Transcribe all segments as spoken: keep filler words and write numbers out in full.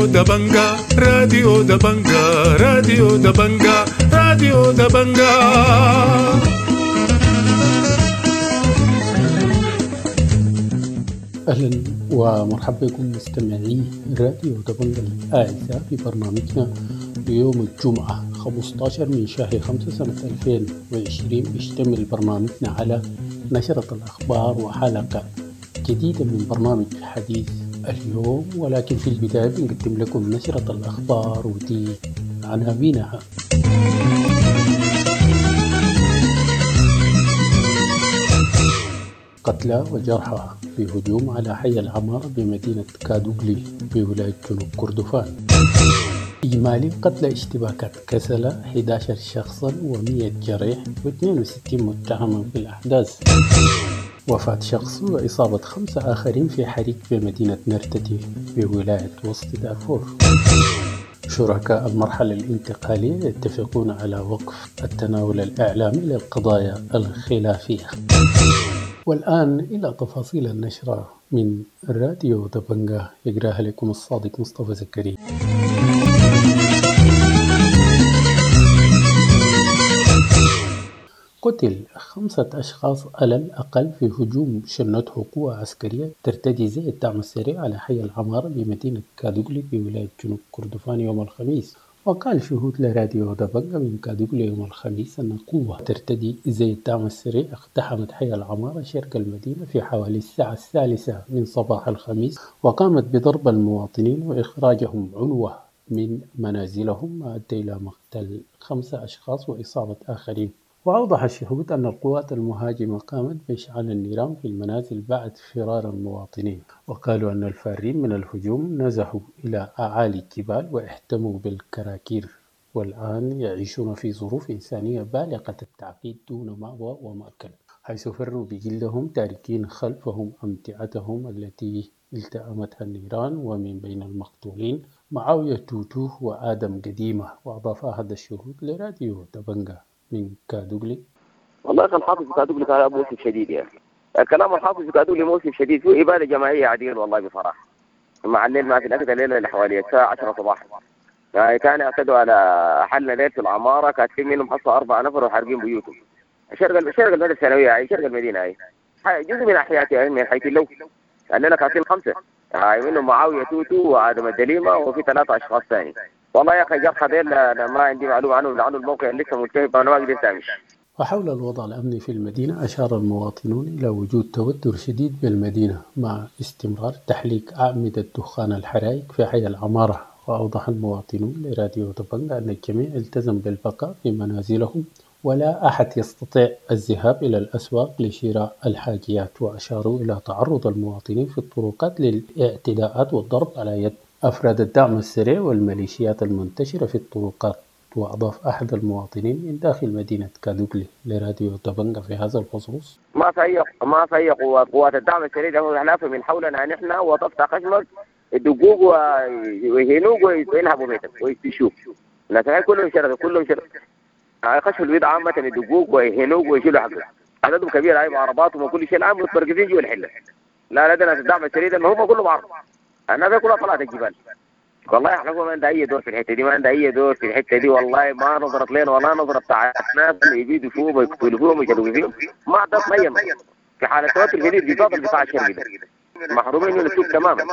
راديو دبنجا، راديو دبنجا، راديو دبنجا، راديو دبنجا. أهلا ومرحبا بكم مستمعي راديو دبنجا الأعزاء في برنامجنا ليوم الجمعة خمستاشر من شهر خمسة سنة ألفين وعشرين. بيشتمل برنامجنا على نشرة الأخبار وحلقة جديدة من برنامج حديث اليوم، ولكن في البداية بنقدم لكم نشرة الأخبار ودي عناوينها. قتلى وجرحى في هجوم على حي العمارة بمدينة كادوغلي بولاية جنوب كردفان. إجمالي قتلى اشتباكات كسلة أحد عشر شخصا ومئة جريح واثنين وستين متهما بالأحداث. وفاة شخص وإصابة خمسة آخرين في حريق بمدينة نرتتي بولاية وسط دارفور. شركاء المرحلة الانتقالية يتفقون على وقف التناول الإعلامي للقضايا الخلافية. والآن إلى تفاصيل النشرة من راديو دبنجا، يقراها لكم الصادق مصطفى زكريا. قتل خمسة أشخاص على الأقل في هجوم شنته قوة عسكرية ترتدي زي الدعم السريع على حي العمارة بمدينة كادوغلي بولاية جنوب كردفان يوم الخميس. وقال شهود لراديو دبنجا من كادوغلي يوم الخميس أن قوة ترتدي زي الدعم السريع اقتحمت حي العمارة شرق المدينة في حوالي الساعة الثالثة من صباح الخميس، وقامت بضرب المواطنين وإخراجهم عنوة من منازلهم، ما أدى إلى مقتل خمسة أشخاص وإصابة آخرين. وأوضح الشهود أن القوات المهاجمة قامت بإشعال النيران في المنازل بعد فرار المواطنين، وقالوا أن الفارين من الهجوم نزحوا إلى أعالي الجبال واحتموا بالكراكير، والآن يعيشون في ظروف إنسانية بالغة التعقيد دون مأوى ومأكل، حيث فروا بجلدهم تاركين خلفهم أمتعتهم التي التأمتها النيران. ومن بين المقتولين معاوية توتوه وآدم قديمة. وأضاف أحد الشهود لراديو دبنجا من كادوغلي: والله كان حافظ كادوغلي كان موسم شديد، يعني الكلام الحافظ كادوغلي موسم شديد، فيه إبادة جماعية عديل والله بصراحة. مع الليل ما في الأكل الليلة اللي حوالي الساعة عشرة صباحا يعني كان اعتدوا على حلنا ليل في العمارة، كانت في منهم حصة أربعة نفر وحارقين بيوتهم. شرق شرق المدينة الثانوية هاي، شرق المدينة هاي جزء من أحياتي يعني من حيث اللو الليلة كانت خمسة هاي، منهم معاوية توتو وآدم الدليمة وفي ثلاثة أشخاص ثاني. والله يا أخي جرحى ديل أنا ما عندي معلومة عنه لأنه الموقع لسه ملتهب، أنا ما قدرت أمشي. وحول الوضع الأمني في المدينة أشار المواطنون إلى وجود توتر شديد بالمدينة مع استمرار تحليق أعمدة دخان الحرائق في حي العمارة. وأوضح المواطنون لراديو دبنجا أن الجميع التزم بالبقاء في منازلهم ولا أحد يستطيع الذهاب إلى الأسواق لشراء الحاجيات. وأشاروا إلى تعرض المواطنين في الطرقات للاعتداءات والضرب على يد أفراد الدعم السريع والميليشيات المنتشرة في الطرقات. وأضاف أحد المواطنين من داخل مدينة كادوغلي لراديو دبنجا في هذا الخصوص: ما في أي ما في أي قوات قوات الدعم السريع ده من حولنا نحن، وتفتح خشمك يدقوك ويهينوك وينهبوا بيتك ويشوف الناس كلهم شرد كلهم شرد خشوا البيت عامة يدقوك ويهينوك ويشيلوا حقك، عددهم كبير هاي بعرباتهم وكل شيء الآن متمركزين جوا الحلة. لا لا ده الدعم السريع ده ما هم كلهم عرب، الناس كلها طلعت الجبال. والله احنا ما عندها اي دور في الحته دي، ما عندها اي دور في الحته دي والله، ما نظرت لنا ولا نظرت بتاع الناس اللي يبيدوا فيهم ويقتلوا فيهم ويشدوا فيهم، ما عندها اي في حاله توتر شديد بالذات القطاع الشرقي ده محرومين من السوق تماما،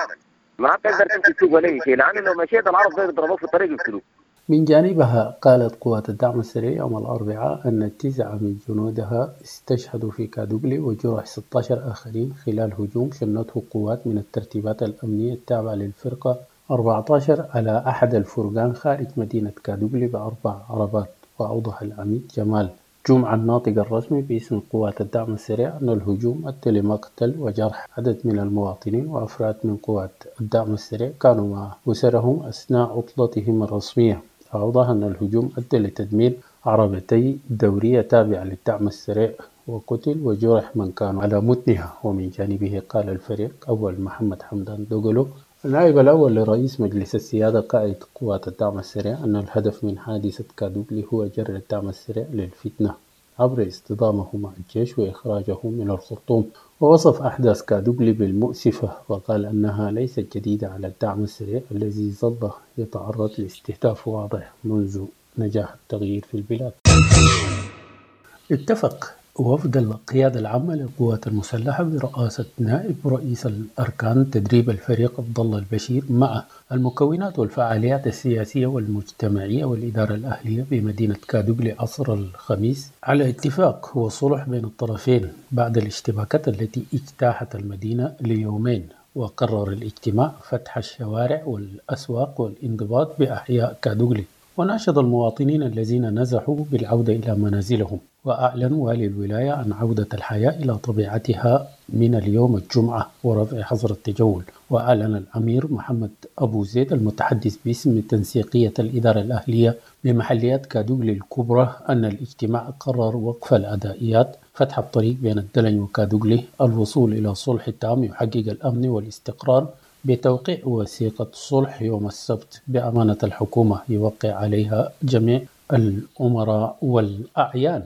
ما تقدر تمشي السوق ولا شيء، لانه لو مشيت العرب زي يضربوك في الطريق يقتلوك. من جانبها قالت قوات الدعم السريع يوم الأربعاء أن تسعة من جنودها استشهدوا في كادوغلي وجرح ستة عشر آخرين خلال هجوم شنته قوات من الترتيبات الأمنية التابعة للفرقة أربعة عشر على أحد الفرقان خارج مدينة كادوغلي بأربع عربات. وأوضح العميد جمال جمعة الناطق الرسمي باسم قوات الدعم السريع أن الهجوم أدى لمقتل وجرح عدد من المواطنين وأفراد من قوات الدعم السريع كانوا مع أسرهم أثناء عطلتهم الرسمية. أوضح أن الهجوم أدى لتدمير عربتي دورية تابعة للدعم السريع وقتل وجرح من كانوا على متنها. ومن جانبه قال الفريق أول محمد حمدان دوغلو النائب الأول لرئيس مجلس السيادة قائد قوات الدعم السريع أن الهدف من حادثة كادوغلي هو جر الدعم السريع للفتنة. عبر اصطدامه مع الجيش وإخراجه من الخرطوم. ووصف أحداث كادوغلي بالمؤسفة، وقال أنها ليست جديدة على الدعم السريع الذي ظل يتعرض لاستهداف واضح منذ نجاح التغيير في البلاد. اتفق وفد القيادة العامة للقوات المسلحة برئاسة نائب رئيس الأركان تدريب الفريق عبد الله البشير مع المكونات والفعاليات السياسية والمجتمعية والإدارة الأهلية بمدينة كادوغلي عصر الخميس على اتفاق وصلح بين الطرفين بعد الاشتباكات التي اجتاحت المدينة ليومين. وقرر الاجتماع فتح الشوارع والأسواق والانضباط بأحياء كادوغلي، وناشد المواطنين الذين نزحوا بالعودة إلى منازلهم. وأعلن والي الولاية عن عودة الحياة إلى طبيعتها من اليوم الجمعة ورفع حظر التجول. وأعلن الأمير محمد أبو زيد المتحدث باسم تنسيقية الإدارة الأهلية بمحليات كادوغلي الكبرى أن الاجتماع قرر وقف الأدائيات، فتح الطريق بين الدلنج وكادوغلي، الوصول إلى صلح تام يحقق الأمن والاستقرار بتوقيع وثيقة صلح يوم السبت بأمانة الحكومة يوقع عليها جميع الأمراء والأعيان.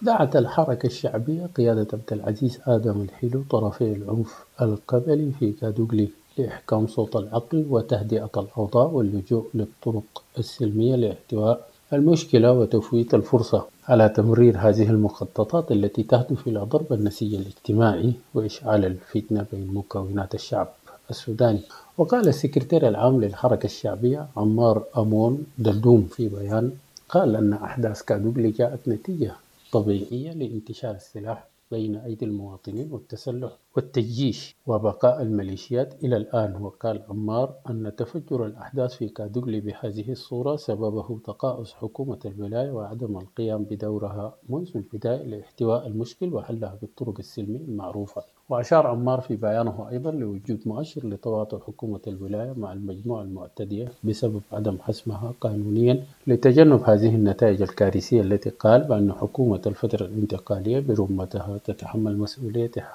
دعت الحركة الشعبية قيادة عبد العزيز آدم الحلو طرفي العنف القبلي في كادوغلي لإحكام صوت العقل وتهدئة الأوضاع واللجوء للطرق السلمية لاحتواء المشكلة وتفويت الفرصة على تمرير هذه المخططات التي تهدف إلى ضرب النسيج الاجتماعي وإشعال الفتنة بين مكونات الشعب السوداني. وقال السكرتير العام للحركة الشعبية عمار أمون دلدوم في بيان قال أن أحداث كادوغلي جاءت نتيجة طبيعية لانتشار السلاح بين أيدي المواطنين والتسلح والتجيش وبقاء الميليشيات إلى الآن. وقال عمار أن تفجر الأحداث في كادوغلي بهذه الصورة سببه تقاعس حكومة الولاية وعدم القيام بدورها منذ البداية لاحتواء المشكل وحلها بالطرق السلمية المعروفة. وأشار عمار في بيانه أيضا لوجود مؤشر لتواطؤ حكومة الولاية مع المجموعة المعتدية بسبب عدم حسمها قانونيا لتجنب هذه النتائج الكارثية التي قال بأن حكومة الفترة الانتقالية برمتها تتحمل مسؤوليتها.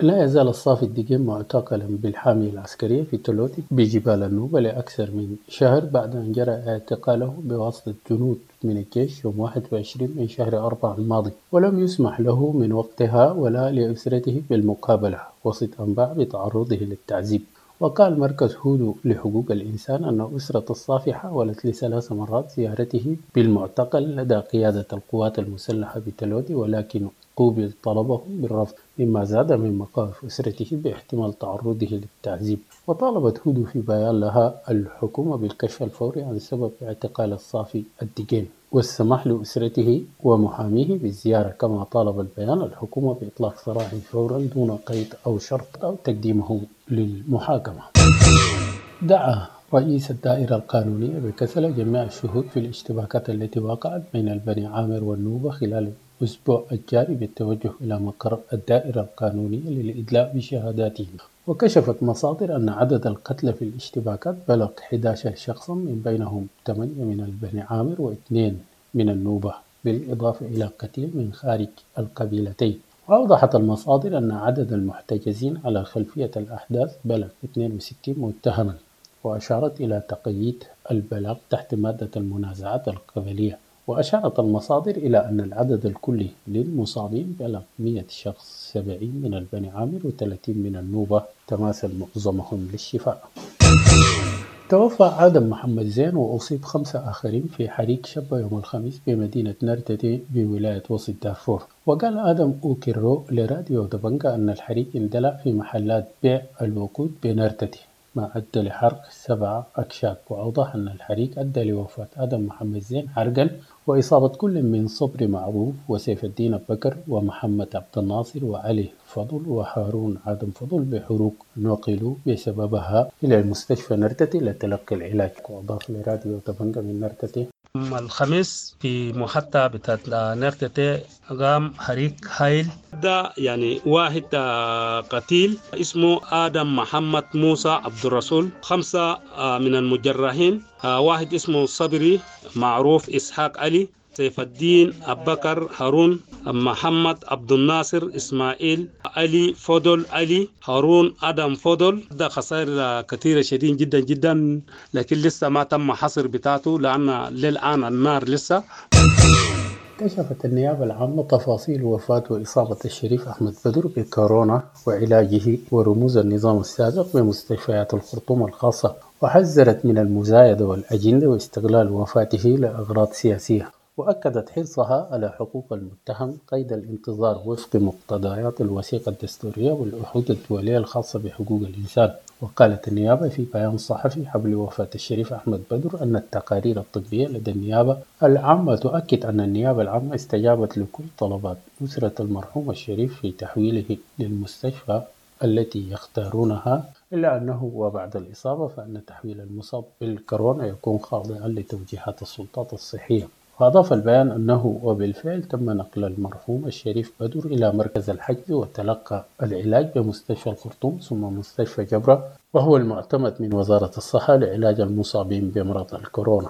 لا يزال الصافي الدقيم معتقلا بالحامية العسكرية في تلوتي بجبال النوبة لأكثر من شهر بعد أن جرى اعتقاله بواسطة جنود من الجيش يوم واحد وعشرين من شهر أربعة الماضي، ولم يسمح له من وقتها ولا لأسرته بالمقابلة وسط أنباء بتعرضه للتعذيب. وقال مركز هودو لحقوق الإنسان أن أسرة الصافي حاولت لثلاث مرات زيارته بالمعتقل لدى قيادة القوات المسلحة بتلوتي، ولكن قوبل طلبهم بالرفض، مما زاد من مخاوف أسرته باحتمال تعرضه للتعذيب. وطالبت هودو في بيان لها الحكومة بالكشف الفوري عن سبب اعتقال الصافي الدقيم والسماح لأسرته ومحاميه بالزيارة، كما طالب البيان الحكومة بإطلاق سراحه فورا دون قيد أو شرط أو تقديمه للمحاكمة. دعا رئيس الدائرة القانونية بكسلة جميع الشهود في الاشتباكات التي وقعت بين البني عامر والنوبة خلال الأسبوع الجاري بالتوجه إلى مقر الدائرة القانونية للإدلاء بشهاداتهم. وكشفت مصادر أن عدد القتلى في الاشتباكات بلغ أحد عشر شخصا، من بينهم ثمانية من البني عامر واثنين من النوبة، بالإضافة إلى قتيل من خارج القبيلتين. وأوضحت المصادر أن عدد المحتجزين على خلفية الأحداث بلغ اثنين وستين متهما، وأشارت إلى تقييد البلاغ تحت مادة المنازعات القبلية. وأشارت المصادر إلى أن العدد الكلي للمصابين بلغ مئة شخص، سبعين من البني عامر وثلاثين من النوبة، تماثل معظمهم للشفاء. توفى آدم محمد زين وأصيب خمسة آخرين في حريق شب يوم الخميس بمدينة نرتتي بولاية وسط دارفور. وقال آدم أوكيرو لراديو دبنجا أن الحريق اندلع في محلات بيع الوقود بنرتتي، ما أدى لحرق سبعة أكشاك. وأوضح أن الحريق أدى لوفاة آدم محمد زين حرقا وإصابة كل من صبري معروف وسيف الدين بكر ومحمد عبد الناصر وعلي فضل وهارون آدم فضل بحروق نقلوا بسببها إلى المستشفى نرتتي لتلقي العلاج. وأضاف لراديو دبنجا من نرتتي: الخميس في محطة بتاعت نرتتي قام حريق هايل، ده يعني واحد قتيل اسمه آدم محمد موسى عبد الرسول، خمسة من المجرحين، واحد اسمه صبري معروف إسحاق علي، سيف الدين أبكر هارون، محمد عبد الناصر إسماعيل علي فضل علي، هارون آدم فضل. ده خسائر كثيرة شديد جدا جدا، لكن لسه ما تم حصر بتاعته لأن للآن النار لسه. كشفت النيابة العامة تفاصيل وفاة وإصابة الشريف أحمد بدر بكورونا وعلاجه ورموز النظام السابق بمستشفيات الخرطوم الخاصة، وحذرت من المزايدة والأجندة واستغلال وفاته لأغراض سياسية، وأكدت حرصها على حقوق المتهم قيد الانتظار وفق مقتضيات الوثيقة الدستورية والعهود الدولية الخاصة بحقوق الإنسان. وقالت النيابة في بيان صحفي حول وفاة الشريف أحمد بدر أن التقارير الطبية لدى النيابة العامة تؤكد أن النيابة العامة استجابت لكل طلبات أسرة المرحوم الشريف في تحويله للمستشفى التي يختارونها، إلا أنه وبعد الإصابة فإن تحويل المصاب بالكورونا يكون خاضعا لتوجيهات السلطات الصحية. وأضاف البيان أنه وبالفعل تم نقل المرحوم الشريف بدر إلى مركز الحجز وتلقى العلاج بمستشفى الخرطوم ثم مستشفى جبرة، وهو المعتمد من وزارة الصحة لعلاج المصابين بمرض الكورونا.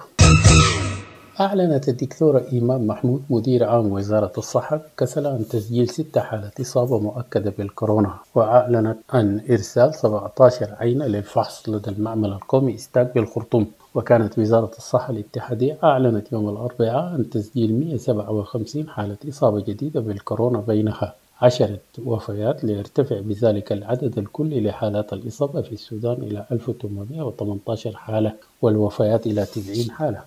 أعلنت الدكتورة إيمان محمود مدير عام وزارة الصحة كسل عن تسجيل ست حالات إصابة مؤكدة بالكورونا، وأعلنت عن إرسال سبعة عشر عينة للفحص لدى المعمل القومي إستاك بالخرطوم. وكانت وزارة الصحة الاتحادية أعلنت يوم الأربعاء عن تسجيل مئة وسبعة وخمسين حالة إصابة جديدة بالكورونا، بينها عشرة وفيات، ليرتفع بذلك العدد الكلي لحالات الإصابة في السودان إلى ألف وثمانمئة وثمانية عشر حالة والوفيات إلى تسعين حالة.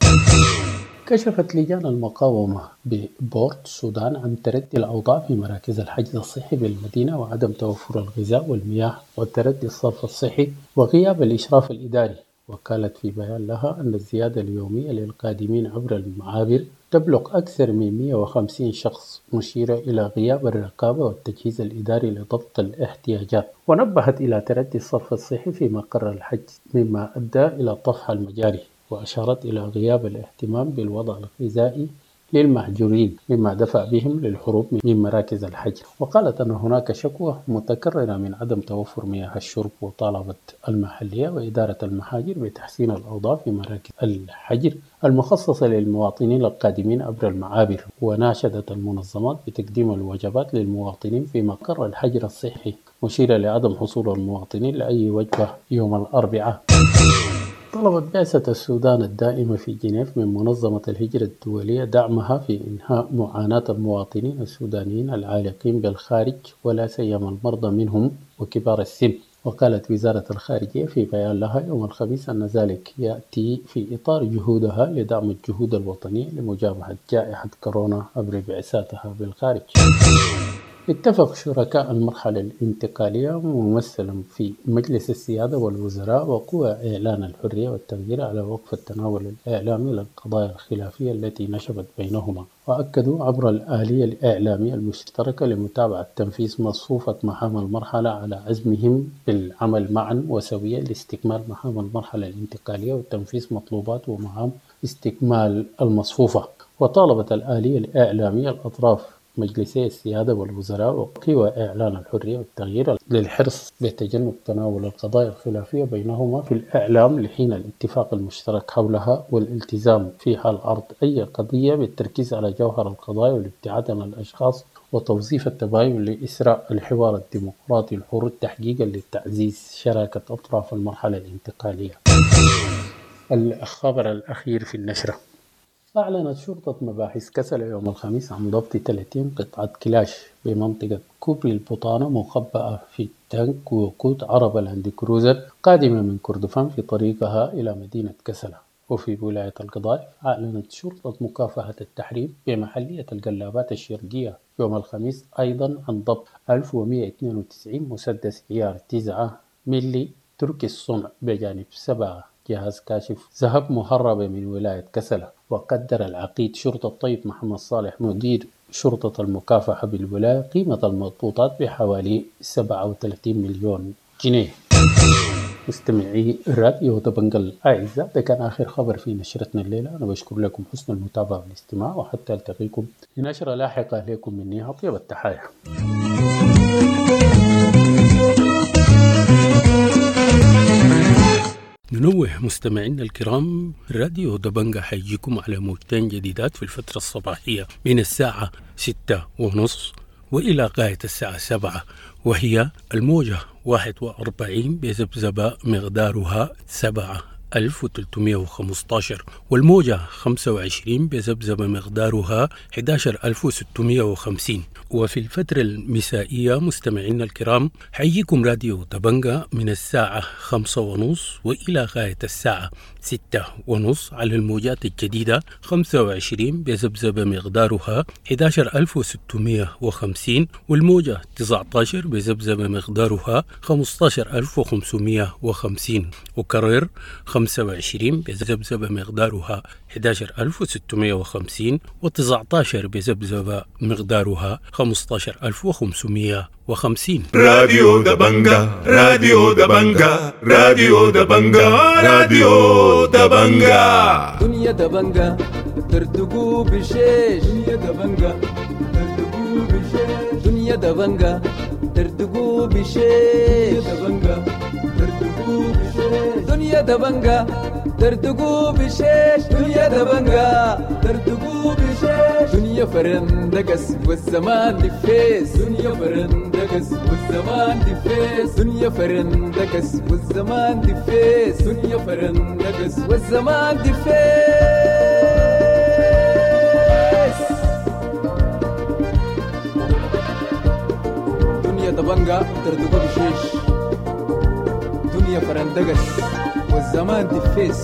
كشفت لجان المقاومة ببورت السودان عن تردي الأوضاع في مراكز الحجز الصحي بالمدينة وعدم توفر الغذاء والمياه وتردي الصرف الصحي وغياب الإشراف الإداري. وقالت في بيان لها أن الزيادة اليومية للقادمين عبر المعابر تبلغ أكثر من مئة وخمسين شخص، مشيرة إلى غياب الرقابة والتجهيز الإداري لضبط الاحتياجات. ونبهت إلى تردي الصرف الصحي في مقر الحجز مما أدى إلى طفح المجاري، وأشارت إلى غياب الاهتمام بالوضع الغذائي للمهجورين مما دفع بهم للهروب من مراكز الحجر. وقالت أن هناك شكوى متكررة من عدم توفر مياه الشرب، وطالبت المحلية وإدارة المحاجر بتحسين الأوضاع في مراكز الحجر المخصصة للمواطنين القادمين عبر المعابر، وناشدت المنظمات بتقديم الوجبات للمواطنين في مقر الحجر الصحي، مشيرة لعدم حصول المواطنين لأي وجبة يوم الأربعاء. طلبت بعثة السودان الدائمة في جنيف من منظمة الهجرة الدولية دعمها في إنهاء معاناة المواطنين السودانيين العالقين بالخارج، ولا سيما المرضى منهم وكبار السن. وقالت وزارة الخارجية في بيان لها يوم الخميس أن ذلك يأتي في إطار جهودها لدعم الجهود الوطنية لمجابهة جائحة كورونا عبر بعثاتها بالخارج. اتفق شركاء المرحلة الانتقالية ممثلا في مجلس السيادة والوزراء وقوى إعلان الحرية والتغيير على وقف التناول الإعلامي للقضايا الخلافية التي نشبت بينهما، وأكدوا عبر الآلية الإعلامية المشتركة لمتابعة تنفيذ مصفوفة مهام المرحلة على عزمهم بالعمل معا وسويا لاستكمال مهام المرحلة الانتقالية وتنفيذ مطلوبات ومهام استكمال المصفوفة. وطالبت الآلية الإعلامية الأطراف مجلسي السيادة والوزراء وقوى إعلان الحرية والتغيير للحرص بتجنب تناول القضايا الخلافية بينهما في الإعلام لحين الاتفاق المشترك حولها، والالتزام في حال عرض أي قضية بالتركيز على جوهر القضايا والابتعاد عن الأشخاص وتوظيف التباين لإسراء الحوار الديمقراطي الحر تحقيقا لتعزيز شراكة أطراف المرحلة الانتقالية. الخبر الأخير في النشرة: أعلنت شرطة مباحث كسل يوم الخميس عن ضبط ثلاثين قطعة كلاش بمنطقة كوبري البطانة مخبأة في تانك وقود عربة لاند كروزر قادمة من كردفان في طريقها إلى مدينة كسلة. وفي ولاية القضارف أعلنت شرطة مكافحة التحريم بمحلية القلابات الشرقية يوم الخميس أيضا عن ضبط ألف ومئة واثنين وتسعين مسدس عيار تسعة ملي تركي الصنع بجانب سبعة جهاز كاشف ذهب مهربة من ولاية كسلة. وقدر العقيد شرطة الطيب محمد صالح مدير شرطة المكافحة بالولاية قيمة المضبوطات بحوالي سبعة وثلاثين مليون جنيه. مستمعي راديو دبنجل الأعزاء، ده كان آخر خبر في نشرتنا الليلة. أنا بشكر لكم حسن المتابعة والاستماع، وحتى ألتقيكم في نشرة لاحقة لكم مني أطيب التحايا. ننوه مستمعينا الكرام، راديو دبنجة حيجيكم على موجتين جديدات في الفترة الصباحية من الساعة ستة ونص وإلى غاية الساعة سبعة، وهي الموجة واحد وأربعين بذبذبة مقدارها سبعة ألف وثلاثمائة وخمسة عشر، والموجة خمسة وعشرين بذبذبة مقدارها أحد عشر ألف وستمائة وخمسين. وفي الفترة المسائية مستمعينا الكرام، حيجيكم راديو دبنقا من الساعة خمسة ونص وإلى غاية الساعة ستة ونص على الموجات الجديدة خمسة وعشرين بذبذبة مقدارها أحد عشر ألف وستمائة وخمسين، والموجة تسعة عشر بذبذبة مقدارها خمسة عشر ألف وخمسمائة وخمسين، وكرر خمسة وعشرين بذبذبة مقدارها أحد عشر ألف وستمائة وخمسين وتسعة عشر بذبذبة مقدارها خمسة عشر ألف وخمسمائة وخمسين. راديو دبنجا، راديو دبنجا، راديو دبنجا، راديو دبنجا. دنيا دبنجا تردقوا بشيش، دنيا دبنجا تردقوا بشيش، دنيا دبنجا تردقوا بشيش، دبنجا تردقوا بشيش، دنيا دبنجا تردقوا بشيش، دنيا دبنجا تردقوا بشيش، دنيا فرندقس والزمان دفيس، دنيا فرندقس والزمان دفيس، دنيا فرندقس والزمان دفيس، دنيا فرندقس والزمان دفيس. دنيا دبنجا تردقوا بشيش، دنيا فرندقس والزمان دفيس.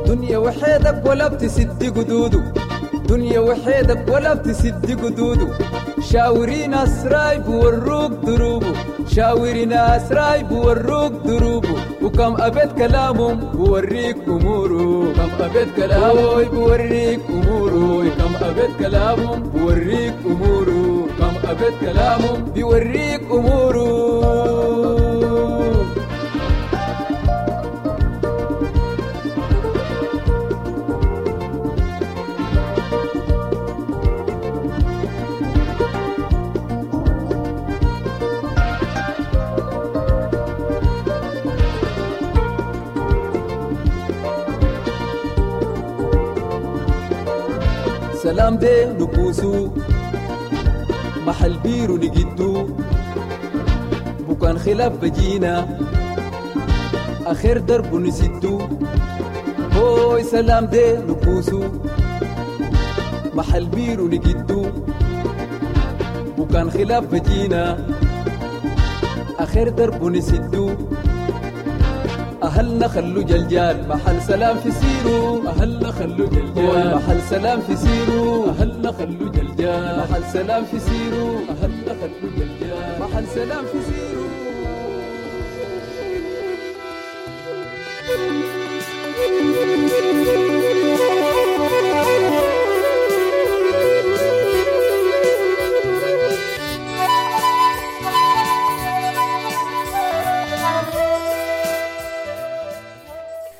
دنيا وحيدك ولا بتسد قدوده، دنيا وحيدك ولا بتسد قدوده، شاوري ناس رايب وروك دروبه، شاوري ناس رايب وروك دروبه، وكم أبيت كلامهم بوريك أموره، كم أبيت كلامه بوريك أموره، كم أبيت كلامهم بوريك أموره، كم أبيت كلامهم بيوريك أموره. سلام دي نكوسو محل بيرو نجدو، بكان خلاف بجينا آخر درب نسدو، هوي سلام دي نكوسو محل بيرو نجدو، بكان خلاف بجينا آخر درب نسدو، أهلنا خلو جلجال محل سلام في سيرو، أهلنا خلو جلجال محل سلام في سيرو، أهلنا خلو جلجال محل سلام في سيرو، أهلنا خلو جلجال محل سلام في سيرو.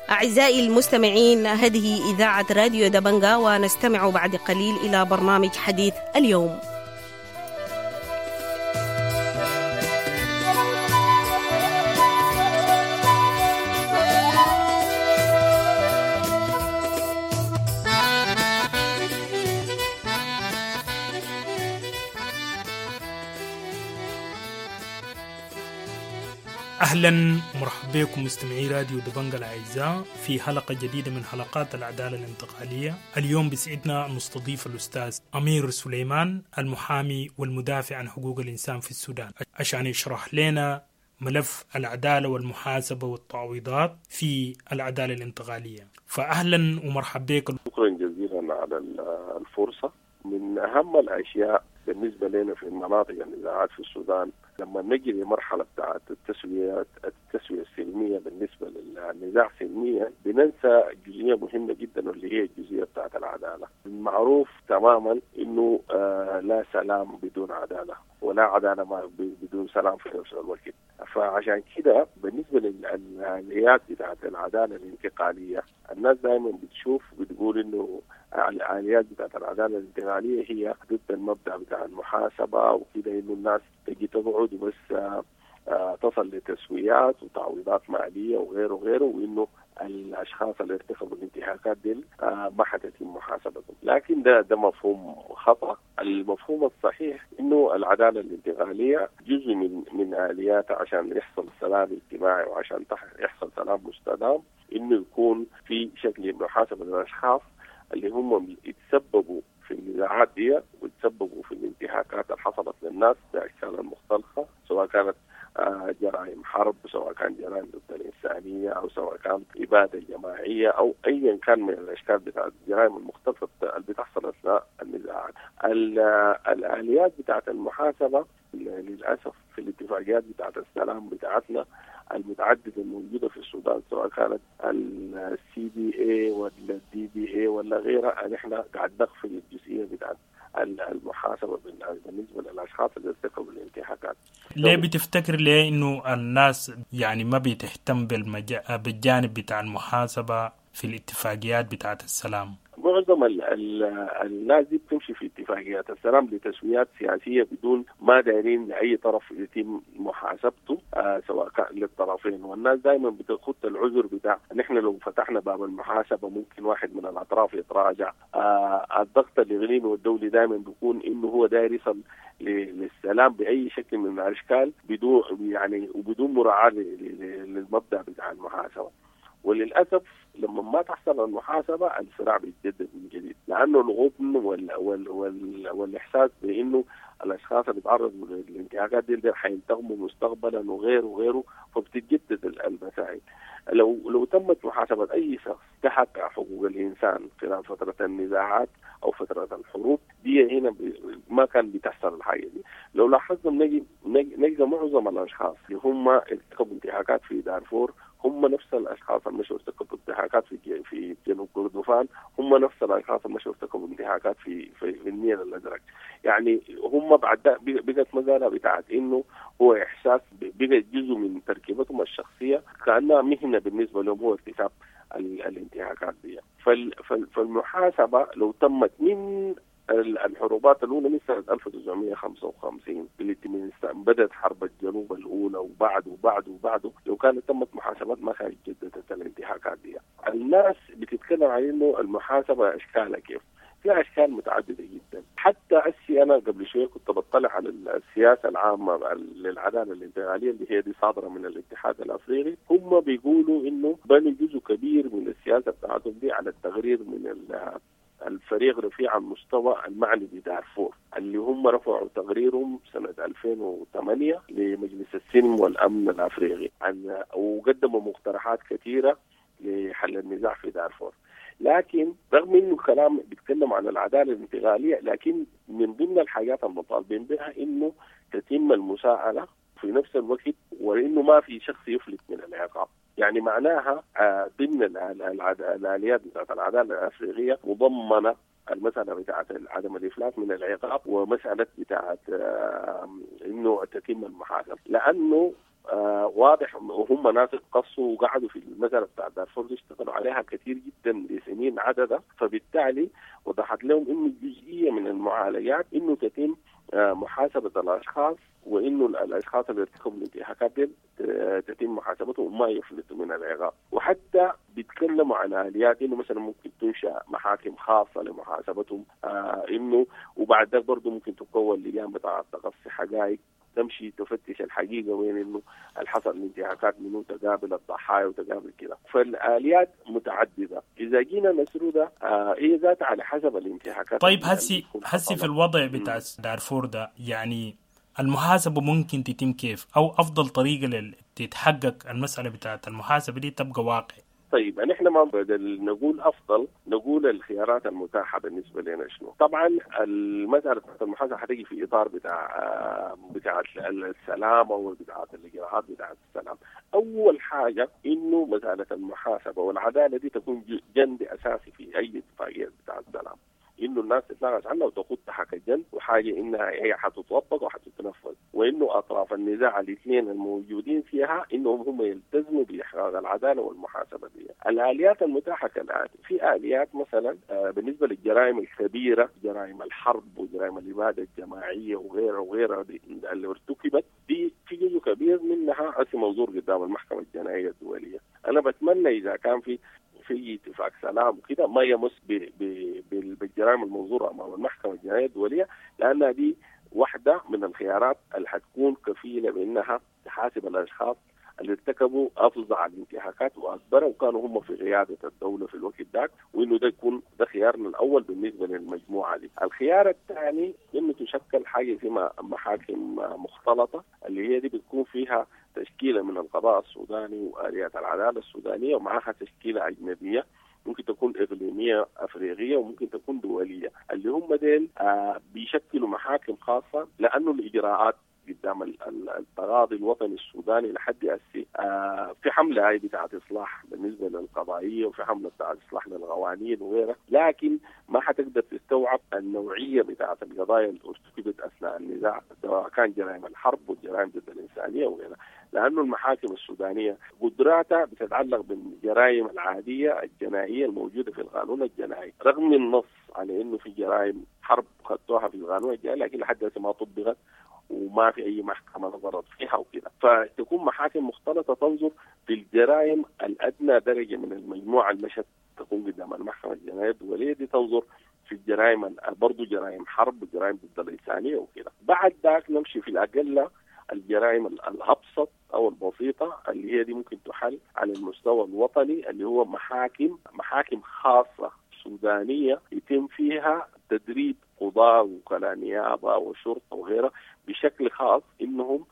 أعزائي المستمعين، هذه إذاعة راديو دبنجا، ونستمع بعد قليل إلى برنامج حديث اليوم. أهلا ومرحبا بكم مستمعي راديو دبنجا الأعزاء في حلقة جديدة من حلقات العدالة الانتقالية. اليوم بسعدنا نستضيف الأستاذ أمير سليمان، المحامي والمدافع عن حقوق الإنسان في السودان، عشان يشرح لنا ملف العدالة والمحاسبة والتعويضات في العدالة الانتقالية. فأهلا ومرحبا بك. شكرا جزيلا على الفرصة. من أهم الأشياء بالنسبة لنا في المناطق النزاعات في السودان، لما نجي لمرحلة بتاعت التسوية التسوية السلمية بالنسبة للنزاع سلميا، بننسى جزئية مهمة جدا واللي هي الجزئية بتاعت العدالة. المعروف تماما إنه آه لا سلام بدون عدالة، ولا عدالة ما بدون سلام في نفس الوقت. فعشان كده بالنسبة للآليات بتاعت العدالة الانتقالية، الناس دائما بتشوف بتقول إنه الآليات بتاعت العدالة الانتقالية هي ضد المبدأ بتاع المحاسبة وكده، إنه الناس تجي تقعد وبس تصل لتسويات وتعويضات ماليه وغيره وغيره، وانه الاشخاص اللي ارتكبوا الانتهاكات دي ما حتتم محاسبتهم. لكن ده ده مفهوم خطا. المفهوم الصحيح انه العدالة الانتقالية جزء من من الياتها عشان يحصل سلام اجتماعي وعشان يحصل سلام مستدام، انه يكون في شكل محاسبه للاشخاص اللي هم يتسببوا في النزاعات دي وتسببوا في الانتهاكات اللي حصلت للناس باشكالها المختلفة، سواء كانت جرائم حرب، سواء كان جرائم ضد الإنسانية، أو سواء كان إبادة جماعية، أو أيا كان من الأشكال بتاعت الجرائم المختلفة اللي بتحصل أثناء النزاعات. الآليات بتاعت المحاسبة للأسف في الاتفاقيات بتاعت السلام بتاعتنا المتعددة الموجودة في السودان، سواء كانت ال CBA ولا ال DBA ولا غيرها، نحن قاعد نغفل الجزئية بتاعت المحاسبة بالنسبة للأشخاص اللي ارتكبوا الانتهاكات. ليه بتفتكر ليه إنه الناس يعني ما بتهتم بالمج... بالجانب بتاع المحاسبة في الاتفاقيات بتاعت السلام؟ معظم ال ال الناس دي بتمشي في اتفاقيات السلام لتسويات سياسية بدون ما دايرين لأي طرف يتم محاسبته، آه سواء كان للطرفين. والناس دائما بتخط العذر بتاع نحن لو فتحنا باب المحاسبة ممكن واحد من الأطراف يتراجع. آه الضغط الإقليمي والدولي دائما بيكون إنه هو داير يصل للسلام بأي شكل من الأشكال بدون يعني وبدون مراعاة للمبدأ بتاع المحاسبة. وللأسف لما ما تحصل المحاسبة الصراع بيتجدد من جديد، لأنه الغبن وال وال وال والإحساس بأنه الأشخاص اللي تعرضوا للانتهاكات دي حينتقموا مستقبلا وغيره وغيره، فبتتجدد المسائل. لو لو تمت محاسبة أي شخص تحت حقوق الإنسان خلال فترة النزاعات أو فترة الحروب دي، هنا ما كان بتحصل الحاجة دي. لو لاحظنا نجي نجد معظم الأشخاص اللي هم ارتكبوا انتهاكات في دارفور هم نفس الاشخاص اللي مشوا ارتكبوا انتهاكات في في جنوب كردفان، هم نفس الاشخاص اللي مشوا ارتكبوا انتهاكات في في, في النيل الازرق. يعني هم بعد بقت مسالة بتاعت انه هو احساس بقت جزء من تركيبتهم الشخصية، كانها مهنة بالنسبة لهم هو ارتكاب الانتهاكات دي. فالمحاسبه لو تمت من الحروبات الأولى من سنة ألف وتسعمائة وخمسة وخمسين اللي بدأت حرب الجنوب الأولى وبعده وبعده وبعده، لو كانت تمت محاسبات ما كانت جددت الانتهاكات دي. الناس بتتكلم عن إنه المحاسبة أشكالها كيف؟ في أشكال متعددة جدا. حتى أسي أنا قبل شوية كنت بطلع على السياسة العامة للعدالة الانتقالية اللي هي دي صادرة من الاتحاد الأفريقي، هم بيقولوا إنه بنوا جزء كبير من السياسة بتاعتهم دي على التغرير من الفريق رفيع المستوى المعني بدارفور، اللي هم رفعوا تقريرهم سنة ألفين وثمانية لمجلس السلم والأمن الأفريقي عن وقدموا مقترحات كثيرة لحل النزاع في دارفور. لكن رغم انه الكلام بيتكلم عن العدالة الانتقالية، لكن من ضمن الحاجات المطالبين بها انه تتم المساءلة في نفس الوقت، وانه ما في شخص يفلت من العقاب. يعني معناها ضمن الآليات بتاعت العدالة الأفريقية مضمنة المسألة بتاعت عدم الإفلات من العقاب، ومسألة بتاعت إنه تتم المحاسبة، لأنه واضح وهم ناس قصوا وقعدوا في المسألة بتاعت دارفور اشتغلوا عليها كثير جدا لسنين عددة، فبالتالي وضحت لهم إنه جزئية من المعالجات إنه تتم محاسبة الأشخاص، وإنه الأشخاص اللي ارتكبوا الانتهاكات دي تتم محاسبتهم وما يفلتوا من العقاب. وحتى بيتكلموا عن آليات إنه مثلا ممكن تنشأ محاكم خاصة لمحاسبتهم، آه إنه وبعد ذلك برضه ممكن تكون لجان بتاعت تقصي حقائق تمشي تفتش الحقيقة وين إنه الحصل الانتهاكات منه، تقابل الضحايا وتقابل كده. فالآليات متعددة، إذا جينا نسردها آه هي ذاتها على حسب الانتهاكات. طيب هسي هسي في الوضع بتاع دارفور ده، يعني المحاسبة ممكن تتم كيف؟ أو أفضل طريقة لتتحقق المسألة بتاعت المحاسبة دي تبقى واقع؟ طيب نحن ما بدل نقول أفضل، نقول الخيارات المتاحة بالنسبة لنا شنو. طبعا المسألة بتاعت المحاسبة حتيجي في إطار بتاع بتاع السلام أو بتاعت الإجراءات بتاعت السلام. أول حاجة إنه مسألة المحاسبة والعدالة دي تكون جند أساسي في أي اتفاقية بتاع السلام. انه الناس تتناقش عنها وتاخدها كجن وحاجه انها هي حتطبق وحتتنفذ، وانه اطراف النزاع الاثنين الموجودين فيها انهم هم يلتزموا باحقاق العدالة والمحاسبه دي. الاليات المتاحة كالاتي: في اليات مثلا بالنسبة للجرائم الكبيرة، جرائم الحرب وجرائم الابادة الجماعية وغيرها وغيرها اللي ارتكبت، دي في جزء كبير منها هسه منظور قدام المحكمة الجنائية الدولية. انا بتمنى اذا كان في في اتفاق سلام وكده ما يمس بالجرائم المنظوره امام المحكمة الجنائية الدولية، لانها دي واحدة من الخيارات اللي حتكون كفيله بانها تحاسب الاشخاص اللي ارتكبوا افظع الانتهاكات واكبرها وكانوا هم في قيادة الدولة في الوقت ذاك، وانه ده يكون ده خيارنا الاول بالنسبة للمجموعة دي. الخيار الثاني انه تشكل حاجة اسمها محاكم مختلطة، اللي هي دي بتكون فيها تشكيله من القضاء السوداني واليات العدالة السودانية ومعها تشكيله اجنبية، ممكن تكون إقليمية أفريقية وممكن تكون دولية، اللي هم ديل آه بيشكلوا محاكم خاصة، لأنه الإجراءات قدام التقاضي الوطني السوداني لحد هسه آه في حملة هاي بتاعت إصلاح بالنسبة للقضائية وفي حملة بتاعت إصلاح للقوانين وغيرها، لكن ما حتقدر تستوعب النوعية بتاعت القضايا اللي ارتكبت أثناء النزاع، سواء كان جرائم الحرب والجرائم ضد الإنسانية وغيرها، لأنه المحاكم السودانية قدراتها بتتعلق بالجرائم العادية الجنائية الموجودة في القانون الجنائي، رغم النص على إنه في جرائم حرب خدتوها في القانون الجنائي لكن لحد هسه ما طبقت وما في أي محكمة نظرت فيها وكذا. فتكون محاكم مختلطة تنظر في الجرائم الأدنى درجة من المجموعة المشت تكون قدام المحكمة الجنائية الدولية دي، تنظر في الجرائم برضو جرائم حرب وجرائم ضد الإنسانية وكذا. بعد ذاك نمشي في الأقل الجرائم الأبسط أو البسيطة اللي هي دي ممكن تحل على المستوى الوطني، اللي هو محاكم محاكم خاصة سودانية يتم فيها تدريب قضاة وكلاء نيابة وشرطة وغيرها بشكل خاص إنهم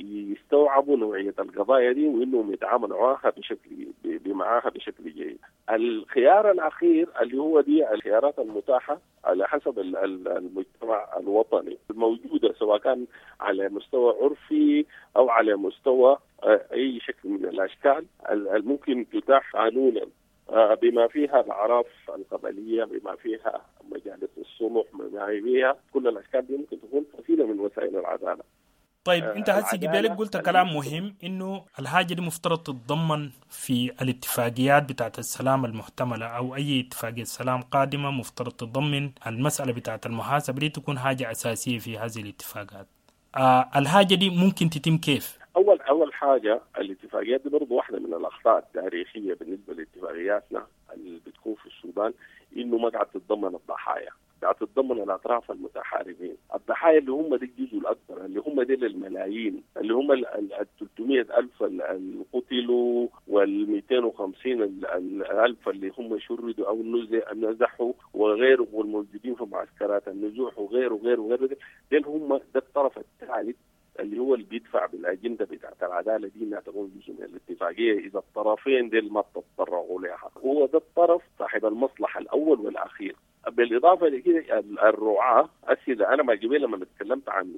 يستوعبوا نوعية القضايا دي وإنهم يتعاملوا معها بشكل بمعاها بشكل جيد. الخيار الأخير اللي هو دي الخيارات المتاحة على حسب المجتمع الوطني الموجودة، سواء كان على مستوى عرفي أو على مستوى أي شكل من الأشكال الممكن تتاح قانونا، بما فيها الأعراف القبلية، بما فيها مجالس الصلح، بما فيها كل الأشكال دي ممكن تكون وسيلة من وسائل العدالة. طيب انت هسي قبلك قلت كلام مهم، انه الحاجة دي مفترض تتضمن في الاتفاقيات بتاعت السلام المحتملة او اي اتفاقية سلام قادمة، مفترض تتضمن المسألة بتاعت المحاسبة دي تكون حاجة اساسية في هذه الاتفاقات. آه الحاجة دي ممكن تتم كيف؟ اول اول حاجة الاتفاقيات دي برضه واحدة من الاخطاء التاريخية بالنسبة لاتفاقياتنا اللي بتكون في السودان، انه ما قاعد تتضمن الضحايا، قاعد تتضمن الاطراف المتحاربين، الضحايا اللي هم دي الجزء الاكبر، اللي هم دي الملايين، اللي هم ال ثلاثمئة ألف اللي قتلوا وال مئتين وخمسين ألف اللي هم شردوا او نزحوا وغيره، والموجودين في معسكرات النزوح وغيره وغيره وغيره، دول هم ده الطرف الثالث اللي هو اللي بيدفع بالاجنده بتاعت العدالة دي انها تكون جزء من الاتفاقية اذا الطرفين ديل ما تتطرقوا لها، هو ده الطرف صاحب المصلحة الاول والاخير. بالاضافة لكده الرعاة السيدة، انا ما قبل لما تكلمت عن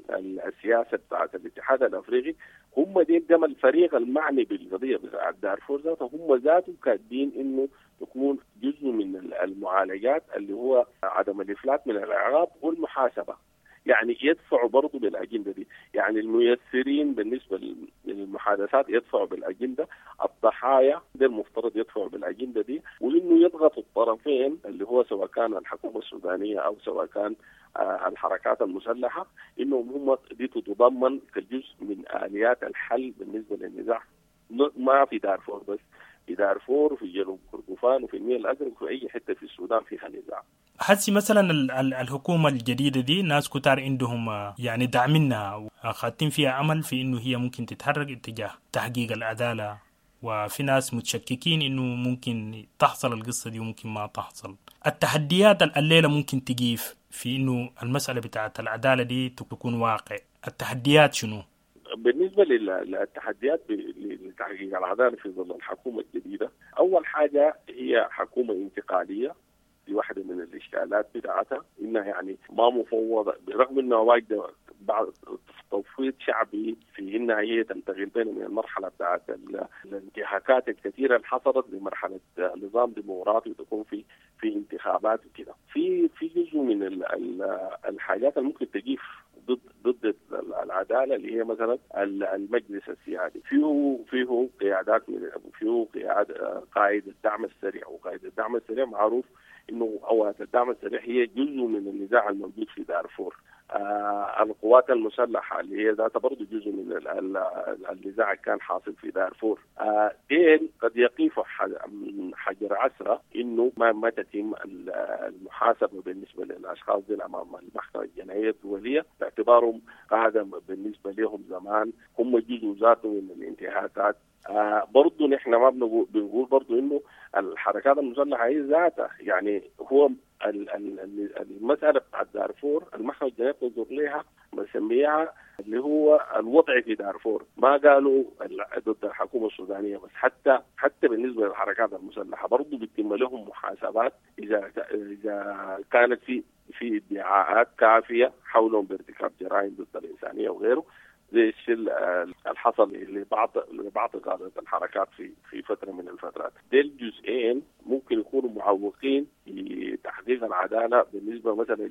السياسة بتاعت الاتحاد الافريقي، هم ديل ده الفريق المعني بالقضية بتاعت دارفور ذاته، هم ذاتهم كاتبين انه تكون جزء من المعالجات اللي هو عدم الافلات من العقاب والمحاسبه. يعني يدفعوا برضه بالأجندة دي، يعني الميسرين بالنسبة للمحادثات يدفعوا بالأجندة، الضحايا ده المفترض يدفعوا بالأجندة دي، وإنه يضغطوا الطرفين اللي هو سواء كان الحكومة السودانية أو سواء كان الحركات المسلحة، إنهم هم دي تتضمن كجزء من آليات الحل بالنسبة للنزاع، ما في دارفور بس، في دارفور وفي جنوب كردفان وفي النيل الأزرق وفي أي حتة في السودان فيها نزاع. حسي مثلا الحكومة الجديدة دي ناس كتار عندهم يعني داعمينها وخاتين فيها أمل في إنه هي ممكن تتحرك اتجاه تحقيق العدالة، وفي ناس متشككين إنه ممكن تحصل القصة دي وممكن ما تحصل. التحديات الليلة ممكن تجيف في إنه المسألة بتاعت العدالة دي تكون واقع، التحديات شنو؟ بالنسبة للتحديات لتحقيق العدالة في ظل الحكومة الجديدة، أول حاجة هي حكومة انتقالية، دي واحدة من الإشكالات بتاعتها، إنها يعني ما مفوضة، برغم إنها واجدة بعض تفويض شعبي في إنها هي تنتقل بين من المرحلة بتاعت الانتهاكات الكثيرة اللي حصلت لمرحلة نظام ديمقراطي وتكون في في انتخابات وكده. في في في جزء من الحاجات اللي ممكن تجيف ضد ضد العدالة اللي هي مثلا المجلس السيادي، فيه فيه قيادات من فيه قياد قائد الدعم السريع، وقائد الدعم السريع معروف انه قوات الدعم السريع هي جزء من النزاع الموجود في دارفور. آه القوات المسلحة اللي هي ذاتها برضه جزء من النزاع اللي كان حاصل في دارفور. آه ديل قد يقيفوا حجر عسره انه ما ما تتم المحاسبة بالنسبة للاشخاص دي امام المحكمة الجنائية الدولية، باعتبارهم قاده بالنسبة لهم زمان هم جزء ذاته من الانتهاكات. آه برضه نحن ما بنقول بنقول برضه انه الحركات المسلحة هي ذاتها، يعني هو المسألة بتاعت دارفور المحكمة الجنائية تنظر لها بنسميها اللي هو الوضع في دارفور، ما قالوا ضد الحكومة السودانية بس، حتى حتى بالنسبة للحركات المسلحة برضه بيتم لهم محاسبات إذا إذا كانت في في ادعاءات كافية حولهم بارتكاب جرائم ضد الإنسانية وغيره، زي الشيء اللي حصل لبعض لبعض قادة الحركات في في فترة من الفترات. ديل جزئين ممكن يكونوا معوقين لتحقيق العدالة بالنسبة مثلا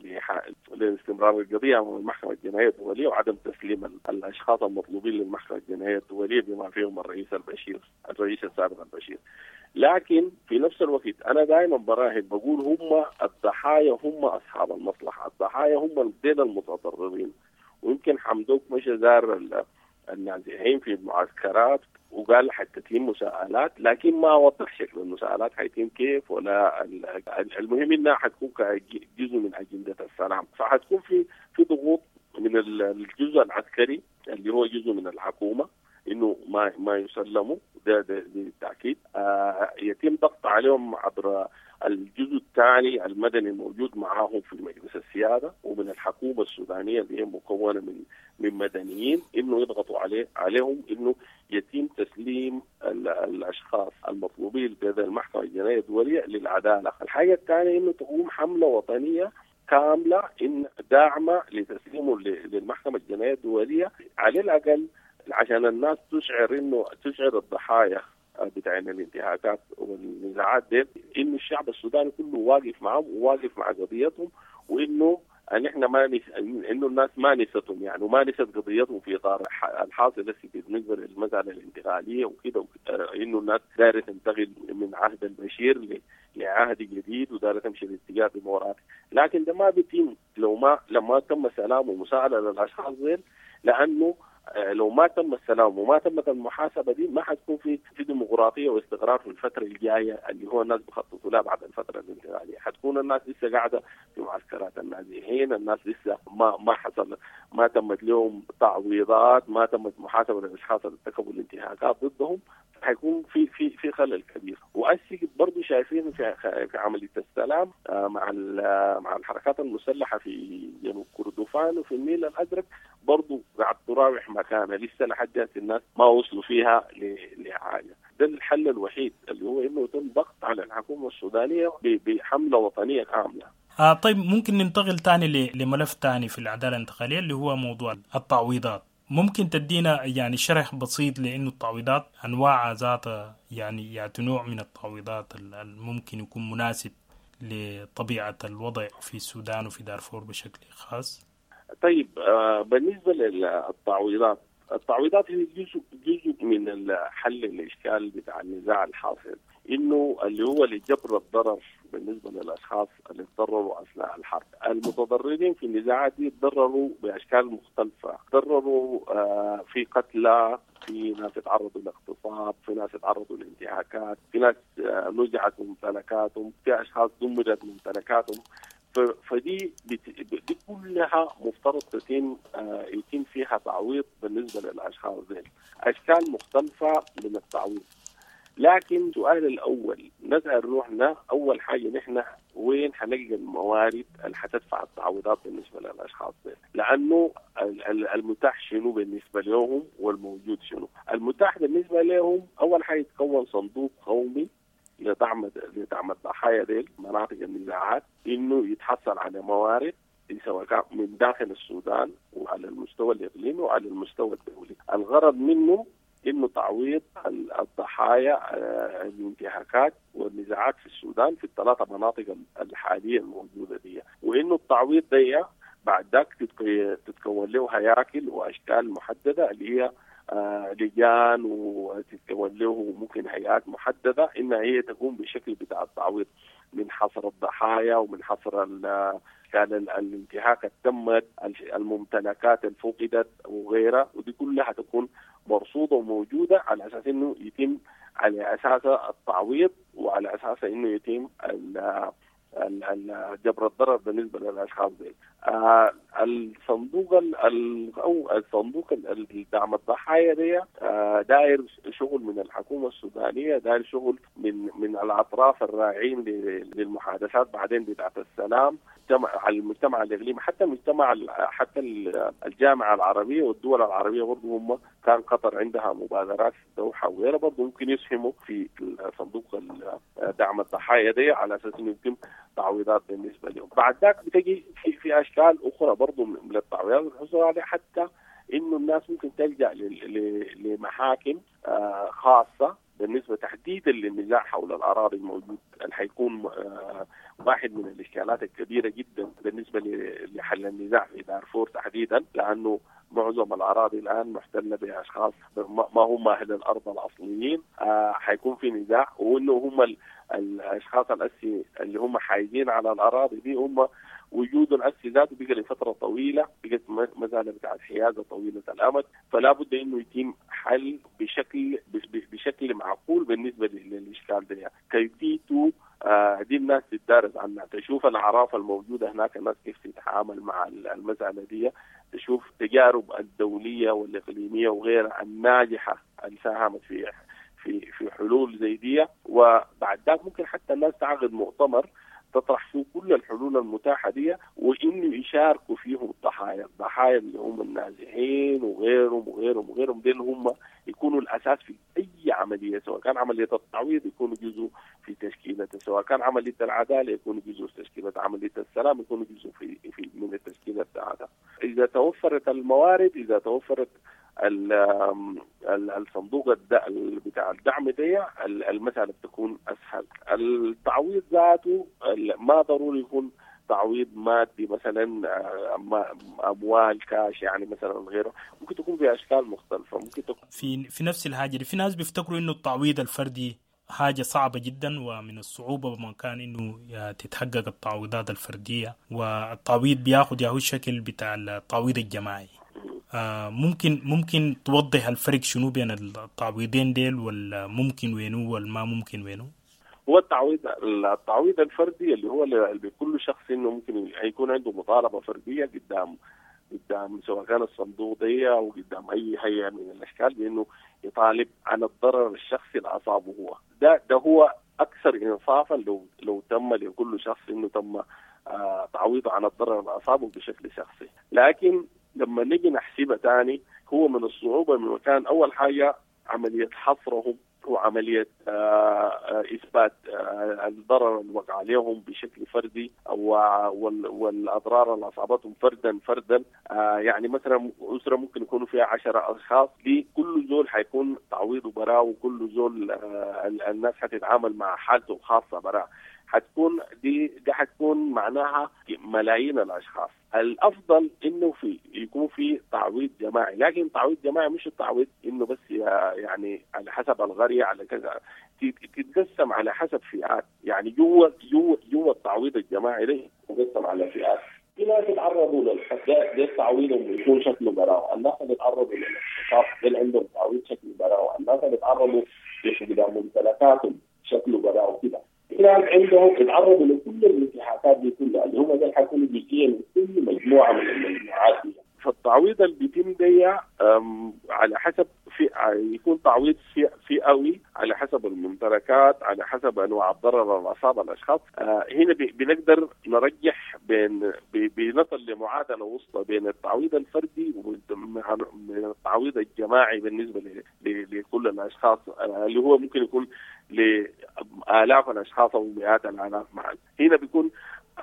لاستمرار القضية امام المحكمة الجنائية الدولية وعدم تسليم الاشخاص المطلوبين للمحكمة الجنائية الدولية بما فيهم الرئيس البشير الرئيس السابق البشير. لكن في نفس الوقت انا دائما براهن بقول هم الضحايا هم اصحاب المصلحة، الضحايا هم ديل المتضررين. ويمكن حمدوك مشى زار النازحين في المعسكرات وقال حتتم مساءلات، لكن ما وضح شكل المساءلات حيتم كيف ولا المهم انها حتكون جزء من اجندة السلام. فحتكون في في ضغوط من الجزء العسكري اللي هو جزء من الحكومة انه ما ما يسلموا، ده ده بالتاكيد. آه يتم ضغط عليهم عبر الجزء الثاني المدني الموجود معاهم في مجلس السيادة ومن الحكومة السودانية اللي هي مكونة من من مدنيين، انه يضغطوا عليه عليهم انه يتم تسليم الاشخاص المطلوبين لدى المحكمة الجنائية الدولية للعدالة. الحاجة الثانية انه تقوم حمله وطنية كاملة ان داعمه لتسليمه للمحكمة الجنائية الدولية، على الاقل عشان الناس تشعر انه تشعر الضحايا بتاعين الانتهاكات والنزاعات دي انه الشعب السوداني كله واقف معهم وواقف مع قضيتهم، وانه ان احنا ما نس... انه الناس ما نستهم يعني وما نست قضيتهم في اطار الحاصل بس بالنسبة للمسالة الانتقالية وكده، انه الناس دايرة تنتقل من عهد البشير ل... لعهد جديد ودايره تمشي باتجاه ديمقراطي، لكن ده ما بيتم لو ما لما تم سلام ومساءله للاشخاص ديل، لانه لو ما تم السلام وما تمت المحاسبة دي ما حتكون في في ديمقراطية واستقرار في الفترة الجاية اللي هو الناس بخططوا لها بعد الفترة الانتقالية. حتكون الناس لسه قاعدة في معسكرات النازحين، الناس لسه ما ما حصل ما تمت لهم تعويضات، ما تمت محاسبه للاشخاص اللي ارتكبوا الانتهاكات ضدهم، حيكون في في في خلل كبير. وأسي برضه شايفين في في عملية السلام مع مع الحركات المسلحة في جنوب كردفان وفي النيل الازرق برضه قاعد تراوح مكانها لسه لحد هسه الناس ما وصلوا فيها لحاجة. ده الحل الوحيد اللي هو انه يتم ضغط على الحكومة السودانية بحمله وطنية كاملة. آه طيب ممكن ننتقل تاني لملف تاني في العدالة الانتقالية اللي هو موضوع التعويضات. ممكن تدينا يعني شرح بسيط لأنه التعويضات أنواع ذاتها، يعني يعني نوع من التعويضات الممكن يكون مناسب لطبيعة الوضع في السودان وفي دارفور بشكل خاص؟ طيب آه بالنسبة للتعويضات، التعويضات هي جزء جزء من حل الإشكال بتاع النزاع الحاصل، إنه اللي هو لجبر الضرر بالنسبة للأشخاص اللي تضرروا أثناء الحرب. المتضررين في النزاعات دي تضرروا بأشكال مختلفة، تضرروا آه في قتلى، في ناس تعرضوا لاغتصاب، في ناس تعرضوا لانتهاكات، في ناس آه نزعت ممتلكاتهم، في أشخاص دمرت ممتلكاتهم. فدي دي كلها مفترض تتم آه يتم فيها تعويض بالنسبة للأشخاص دي، أشكال مختلفة من التعويض. لكن السؤال الأول نسأل روحنا أول حاجة نحن وين حنلقى الموارد اللي حتدفع التعويضات بالنسبة للأشخاص دي؟ لأنه المتاح شنو بالنسبة لهم والموجود شنو؟ المتاح بالنسبة لهم أول حاجة يتكون صندوق قومي لدعم لدعم الضحايا ديل مناطق النزاعات، إنه يتحصل على موارد سواء كان من داخل السودان وعلى المستوى الإقليمي وعلى المستوى الدولي. الغرض منه إنه تعويض الضحايا ضحايا الانتهاكات والنزاعات في السودان في الثلاثة مناطق الحالية الموجودة دي، وإنه التعويض دي بعد ذاك تتكون له هياكل وأشكال محددة اللي هي آه لجان، وتتكون له ممكن هيئات محددة إنها هي تقوم بشكل بتاع التعويض من حصر الضحايا ومن حصر كان الانتهاك اللي تمت، الممتلكات اللي فقدت وغيرها، ودي كلها تكون مرصودة وموجودة على أساس إنه يتم على أساسها التعويض، وعلى أساسها إنه يتم جبر الضرر بالنسبة للأشخاص دي. آه الصندوق ال أو الصندوق الدعم الضحايا دي آه داير شغل من الحكومة السودانية، داير شغل من من الأطراف الراعين للمحادثات بعدين بتاعت السلام على المجتمع الإقليمي، حتى المجتمع حتى الجامعة العربية والدول العربية برضو هم كان قطر عندها مبادرات في الدوحة وغيرها برضو ممكن يسهموا في صندوق دعم الضحايا دي على أساس إنه يتم تعويضات بالنسبة لهم. بعد ذاك بتجي في في أشكال أخرى برضو من التعويضات الحصول عليها، حتى إنه الناس ممكن تلجأ لمحاكم خاصة بالنسبة تحديدا للنزاع حول الأراضي الموجود اللي حيكون واحد من الإشكالات الكبيرة جدا بالنسبة لحل النزاع في دارفور تحديدا، لأنه معظم الأراضي الآن محتلة بأشخاص ما هم أهل الأرض الأصليين. آه حيكون في نزاع، وإنه هم الأشخاص الأسي اللي هم حايزين على الأراضي دي هم وجود الأسي ذاته بقى لفترة طويلة، بقت مسألة بتاعت حيازة طويلة الأمد، فلا بد إنه يتم حل بشكل بشكل معقول بالنسبة للإشكال ده. كيفيته آه دي الناس تتدارس عنها، تشوف الأعراف الموجودة هناك، الناس كيف تتعامل مع المسألة دي، تشوف تجارب الدولية والإقليمية وغيرها الناجحة اللي ساهمت في في في حلول زي دي. وبعد ذاك ممكن حتى الناس تعقد مؤتمر تطرح فيه كل الحلول المتاحة دي، وإنه يشاركوا فيهم الضحايا، الضحايا اللي هم النازحين وغيرهم وغيرهم وغيرهم، دي اللي هم يكونوا الأساس في أي عملية، سواء كان عملية التعويض يكونوا جزء في تشكيلته، سواء كان عملية العدالة يكونوا جزء في تشكيلة، عملية السلام يكونوا جزء في, في من التشكيلة بتاعتها. إذا توفرت الموارد، إذا توفرت الصندوق بتاع الدعم دي، المسألة بتكون أسهل. التعويض ذاته ما ضروري يكون تعويض مادي مثلا أموال كاش يعني مثلا غيره، ممكن تكون في أشكال مختلفة، ممكن تكون في في نفس الحاجة. في ناس بيفتكروا إنه التعويض الفردي حاجة صعبة جدا، ومن الصعوبة بمكان إنه تتحقق التعويضات الفردية، والتعويض بياخد ياهو الشكل بتاع التعويض الجماعي. آه ممكن ممكن توضح الفرق شنو بين التعويضين ديل، ولا ممكن وينو ولا ما ممكن وينو؟ هو التعويض التعويض الفردي اللي هو اللي بكل شخص انه ممكن يكون عنده مطالبه فرديه قدام قدام سواء كان الصندوق دي او قدام اي هيئه من الاشكال بانه يطالب عن الضرر الشخصي اللي اصابه هو. ده ده هو اكثر انصافا لو لو تم لكل شخص انه تم آه تعويضه عن الضرر اللي اصابه بشكل شخصي. لكن لما نيجي نحسبها تاني، هو من الصعوبة من مكان أول حاجة عملية حصرهم وعملية إثبات الضرر اللي وقع عليهم بشكل فردي والأضرار اللي أصابتهم فردا فردا. يعني مثلا أسرة ممكن يكونوا فيها عشرة أشخاص، دي كل زول حيكون تعويضه براه، وكل زول الناس حتتعامل مع حالته الخاصة براه، حتكون دي دي حتكون معناها ملايين الاشخاص. الافضل انه في يكون في تعويض جماعي، لكن تعويض جماعي مش التعويض انه بس يعني على حسب القريه على كذا، تتقسم على حسب فئات. يعني جوا جوا جوا التعويض الجماعي ده يتقسم على فئات. في ناس يتعرضوا للحق ده تعويضهم يكون شكله براءه، الناس اللي يتعرضوا للاغتصاب ده عندهم تعويض شكله براءه، الناس اللي يتعرضوا لفقدان ممتلكاتهم شكله براءه كده. ناس عندهم يتعرضوا لكل الانتهاكات دي كلها اللي هم ده حيكونوا جزئيه من كل مجموعه من المجموعات دي. فالتعويض اللي بيتم دي على حسب في يكون تعويض فئوي على حسب الممتلكات، على حسب انواع الضرر اللي اصاب الاشخاص. هنا بنقدر نرجح بين بنصل لمعادله وسطى بين التعويض الفردي والتعويض الجماعي بالنسبه لكل الاشخاص، اللي هو ممكن يكون لالاف الاشخاص او مئات الالاف معا. هنا بيكون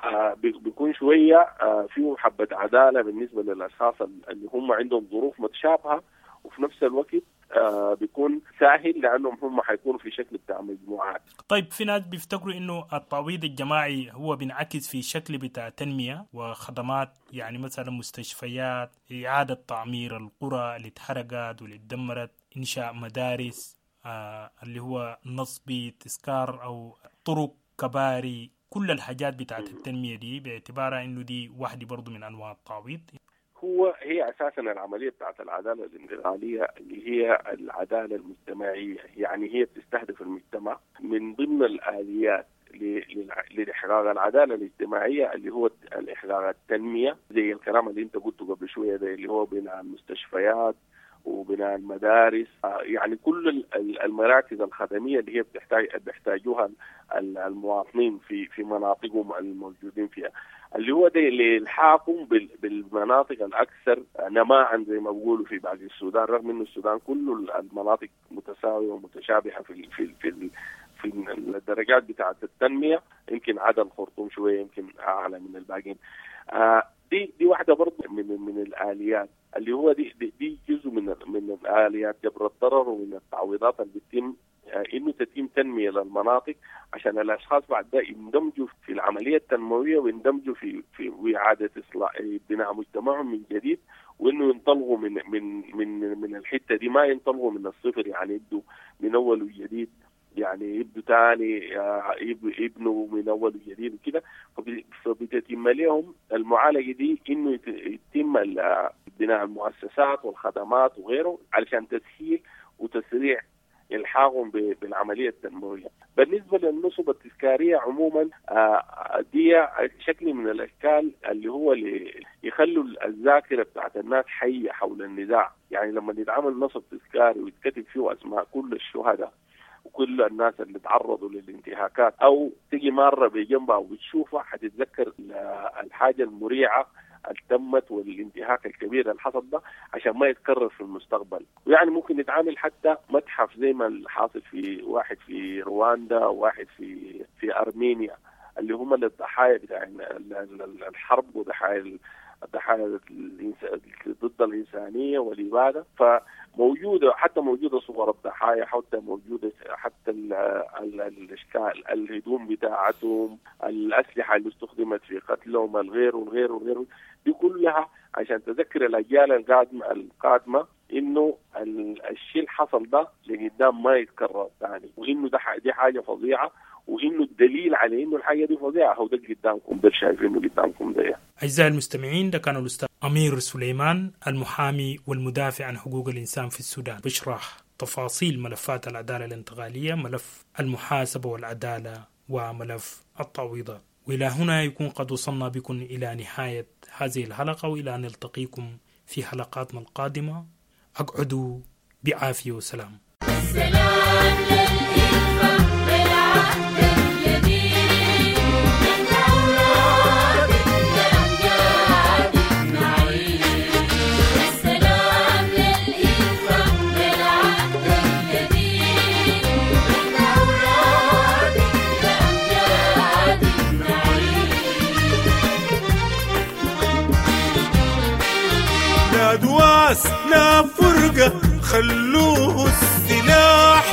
آه بيكون شوية آه فيه حبة عدالة بالنسبة للأشخاص اللي هم عندهم ظروف متشابهة، وفي نفس الوقت آه بيكون سهل لانهم هم حيكونوا في شكل بتاع مجموعات. طيب في ناس بيفتكروا انه التعويض الجماعي هو بينعكس في شكل بتاع تنمية وخدمات، يعني مثلا مستشفيات، اعاده تعمير القرى اللي اتحرقت واللي اتدمرت، انشاء مدارس، آه اللي هو نصب تذكار او طرق كباري، كل الحاجات بتاعت التنمية دي باعتبارها انه دي واحدة برضو من انواع التعويض. هو هي اساسا العملية بتاعت العدالة الانتقالية اللي هي العدالة المجتمعية، يعني هي بتستهدف المجتمع. من ضمن الاليات لاحقاق العدالة الاجتماعية اللي هو الاحقاق التنمية، زي الكلام اللي انت قلته قبل شوية ده اللي هو بناء المستشفيات وبناء المدارس، يعني كل المراكز الخدميه اللي هي بتحتاج بيحتاجوها المواطنين في في مناطقهم الموجودين فيها، اللي هو ده لالحاقهم بالمناطق الاكثر نماء زي ما بيقولوا في باقي السودان، رغم انه السودان كله المناطق متساوية ومتشابهه في في في في الدرجات بتاعه التنمية، يمكن عدا الخرطوم شوية يمكن اعلى من الباقيين. آه دي دي واحدة برضه من من الاليات اللي هو دي دي, دي جزء من من الاليات جبر الضرر ومن التعويضات اللي بتتم، انه تتم تنمية للمناطق عشان الاشخاص بعد ده يندمجوا في العملية التنموية ويندمجوا في في اعاده اصلاح بناء مجتمعهم من جديد، وانه ينطلقوا من من من من الحتة دي، ما ينطلقوا من الصفر، يعني يبدوا من اول وجديد، يعني يبدوا تاني يبنوا من اول وجديد وكده. فبتتم لهم المعالجة دي انه يتم بناء المؤسسات والخدمات وغيره علشان تسهيل وتسريع الحاقهم بالعملية التنموية. بالنسبة للنصب التذكارية عموما دي شكل من الاشكال اللي هو اللي يخلوا الذاكرة بتاعت الناس حيه حول النزاع، يعني لما يتعمل نصب تذكاري ويتكتب فيه اسماء كل الشهداء وكل الناس اللي تعرضوا للانتهاكات، او تيجي مرة بجنبها وبتشوفها حتتذكر الحاجة المريعه اللي تمت والانتهاك الكبير اللي حصل ده عشان ما يتكرر في المستقبل. ويعني ممكن يتعامل حتى متحف زي ما الحاصل في واحد في رواندا وواحد في في ارمينيا، اللي هم الضحايا بتاع الحرب وضحايا الضحايا ضد الإنسانية والإبادة. فموجودة حتى موجودة صور الضحايا، حتى موجودة حتى الأشكال، الهدوم بتاعتهم، الأسلحة اللي استخدمت في قتلهم، الغير والغير والغير، دي كلها عشان تذكر الأجيال القادمة القادمة إنه الشيء اللي حصل ده لقدام ما يتكرر ثاني، وإنه ده دي حاجة فظيعة، وإنه الدليل على إنه الحاجة دي فظيعة هو ده قدامكم، ده شايفينه قدامكم ده. أعزائي المستمعين، ده كان الأستاذ أمير سليمان المحامي والمدافع عن حقوق الإنسان في السودان، بيشرح تفاصيل ملفات العدالة الانتقالية، ملف المحاسبة والعدالة وملف التعويضات. وإلى هنا يكون قد وصلنا بكم إلى نهاية هذه الحلقة، وإلى أن نلتقيكم في حلقاتنا القادمة. أقعدوا بعافية وسلام. السلام للإلفة بالعهد الجديد، من أولاد الأمجاد نعيد. السلام للإلفة بالعهد الجديد، من أولاد الأمجاد نعيد. لا دواس لا فرقة، خلوه السلاح،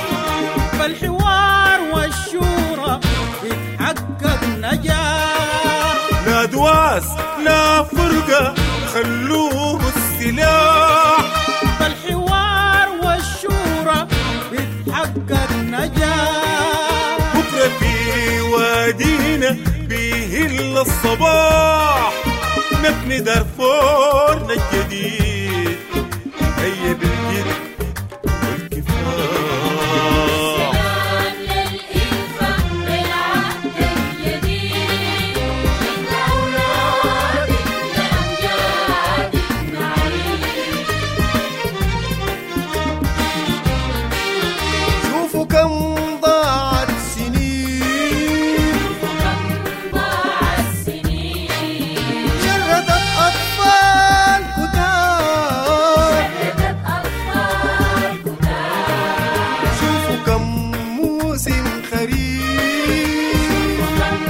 فالحوار والشورى بيتحقق نجاح. لا دواس لا فرقة، خلوه السلاح، فالحوار والشورى بيتحقق نجاح. بكرة في وادينا بيهل الصباح، نبني دارفورنا الجديد، هيا بالجد والكفاح. السلام للإلفة بالعهد الجديد، من أولاد الأمجاد نعيد. شوفوا كم ضاعت سنين، وكم ضاع السنين، شردت أطفال كتار، شردت أطفال كتار. شوفوا كم موسم خريف، وكم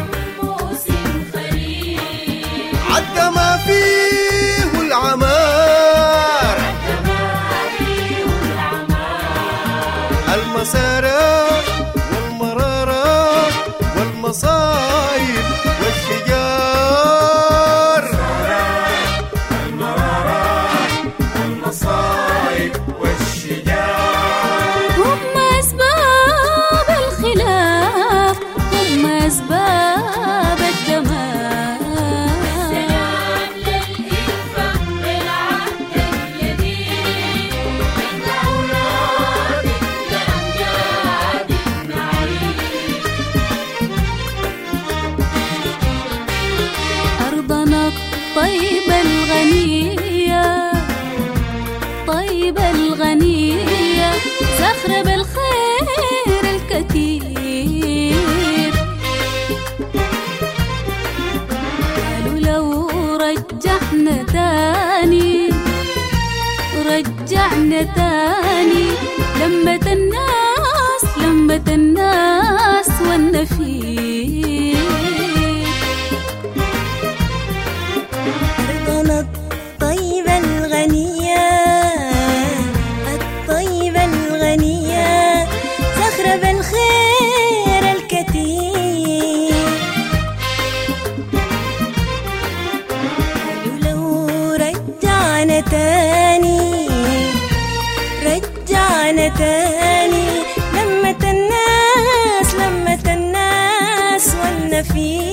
موسم خريف، عدى ما فيه العمار. عدى ما فيه العمار. لمة الناس والنفير. أرضنا الطيبة الغنية، الطيبة الغنية، زخرة بالخير الكثير. قالوا لو رجعنا تاني، رجعنا تاني لمة الناس، لمة الناس والنفير.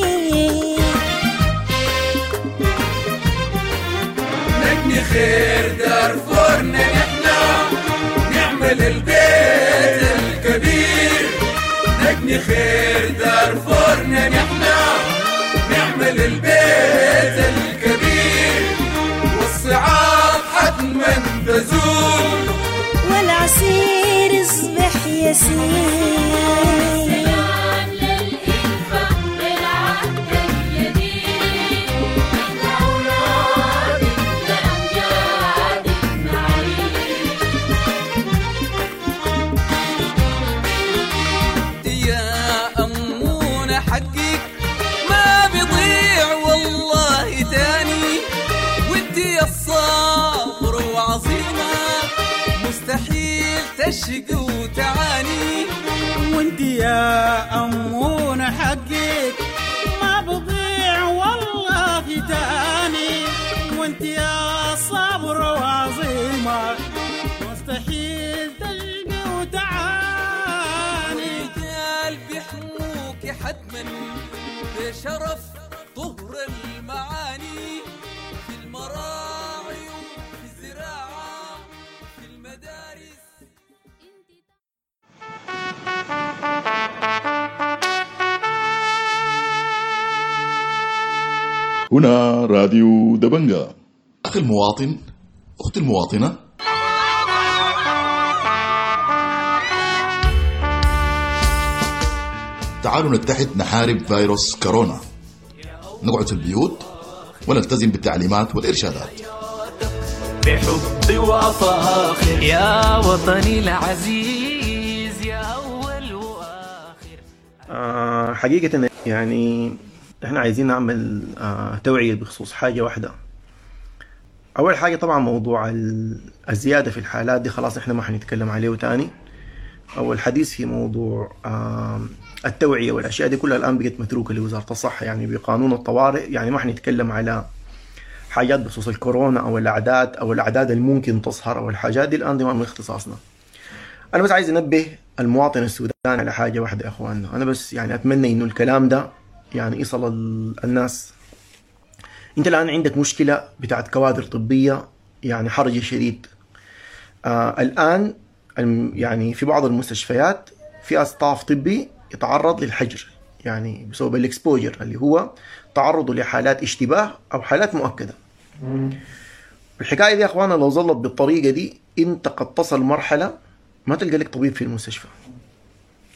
نبني خير دارفورنا نحنا، نعمل البيت الكبير. نبني خير دارفورنا نحنا، نعمل البيت الكبير، والصعاب حتما تزول، والعسير يصبح يسير. سلام للإلفة بالعهد الجديد، نحن أولاد لأمجاد نعيش. يا أمونة حقك ما بيضيع والله تاني، وانت يا الصبر وعظيمة مستحيل تشقي وتعاني. وانت يا أمونة حقك ما بضيع والله تاني، وانت يا صبر وعظيمة مستحيل تشقي وتعاني. والرجال بيحموك حتما بشرف طهر المعاني، في المراعي وفي الزراعة في المدارس. هنا راديو دبنجا. أخي المواطن، أختي المواطنة، تعالوا نتحد نحارب فيروس كورونا. نقعد في البيوت ونلتزم بالتعليمات والإرشادات. بحب وفاخر يا وطني العزيز، يا أول وآخر. آه حقيقة يعني احنا عايزين نعمل آه توعية بخصوص حاجة واحدة. أول حاجة طبعا موضوع الزيادة في الحالات دي خلاص احنا ما حنتكلم عليه تاني، أو الحديث في موضوع آه التوعية والأشياء دي كلها الآن بقت متروكة لوزارة الصحة، يعني بقانون الطوارئ. يعني ما حنتكلم على حاجات بخصوص الكورونا أو الأعداد أو الأعداد الممكن تظهر أو الحاجات دي الآن دي ما من اختصاصنا. أنا بس عايز أنبه المواطن السوداني على حاجة واحدة يا أخواننا. أنا بس يعني أتمنى إنه الكلام ده يعني يصل الناس. أنت الآن عندك مشكلة بتاعت كوادر طبية يعني حرج شديد. آه الآن يعني في بعض المستشفيات في staff طبي يتعرض للحجر، يعني بسبب ال exposure اللي هو تعرضه لحالات اشتباه أو حالات مؤكدة. الحكاية دي يا أخوانا لو ظلت بالطريقة دي أنت قد تصل مرحلة ما تلقى لك طبيب في المستشفى.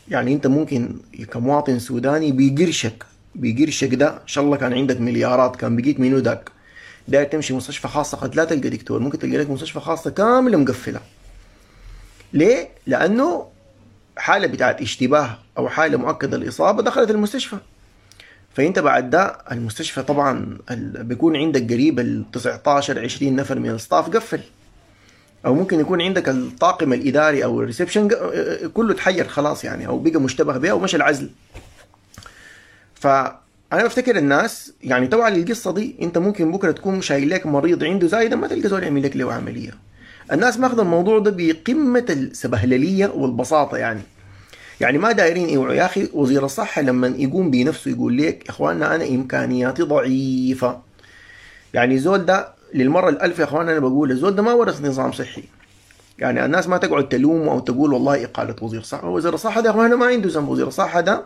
يعني أنت ممكن كمواطن سوداني بيقرشك بيقرشك ده إن شاء الله كان عندك مليارات كان بقيت منو داك داير تمشي مستشفى خاصة قد لا تلقى دكتور، ممكن تلقى لك مستشفى خاصة كاملة مقفلة. ليه؟ لأنه حالة بتاعت اشتباه أو حالة مؤكدة الإصابة دخلت المستشفى. فأنت بعد ده المستشفى طبعا بيكون عندك قريب ال تسعتاشر عشرين نفر من ال staff قفل، أو ممكن يكون عندك الطاقم الإداري أو ال reception كله تحير خلاص يعني، أو بقى مشتبه به ومشى العزل. فأنا بفتكر الناس يعني توعى للقصة دي. أنت ممكن بكرة تكون شايل لك مريض عنده زايدة ما تلقى زول يعمل لك له عملية. الناس ماخذ الموضوع ده بقمة السبهللية والبساطة، يعني يعني ما دايرين يوعوا. يا أخي وزير الصحة لما يقوم بنفسه يقول لك إخواننا أنا إمكانياتي ضعيفة، يعني زول ده للمرة الألف يا إخواننا أنا بقول الزول ده ما ورث نظام صحي. يعني الناس ما تقعد تلومه أو تقول والله إقالة وزير الصحة، وزير الصحة ده يا إخواننا ما عنده ذنب، وزير الصحة ده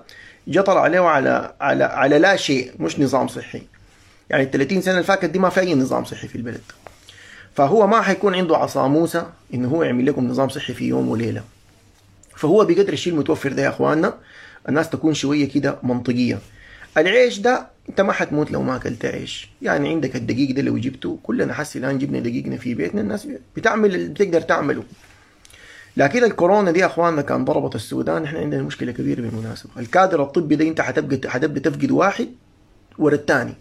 جطر عليه على على على لا شيء، مش نظام صحي. يعني ال ثلاثين سنة اللي فاتت دي ما في أي نظام صحي في البلد، فهو ما حيكون عنده عصا موسى إنه هو يعمل لكم نظام صحي في يوم وليلة. فهو بقدر الشيء المتوفر ده يا اخواننا الناس تكون شوية كده منطقية. العيش ده انت ما حتموت لو ما اكلت عيش، يعني عندك الدقيق ده لو جبته كلنا حسي الان جبنا دقيقنا في بيتنا، الناس بتعمل اللي بتقدر تعمله. لكن الكورونا دي يا اخواننا كان ضربت السودان، احنا عندنا مشكلة كبيرة بالمناسبة. الكادر الطبي ده انت حتبقى حتبدا تفقد واحد ورا الثاني،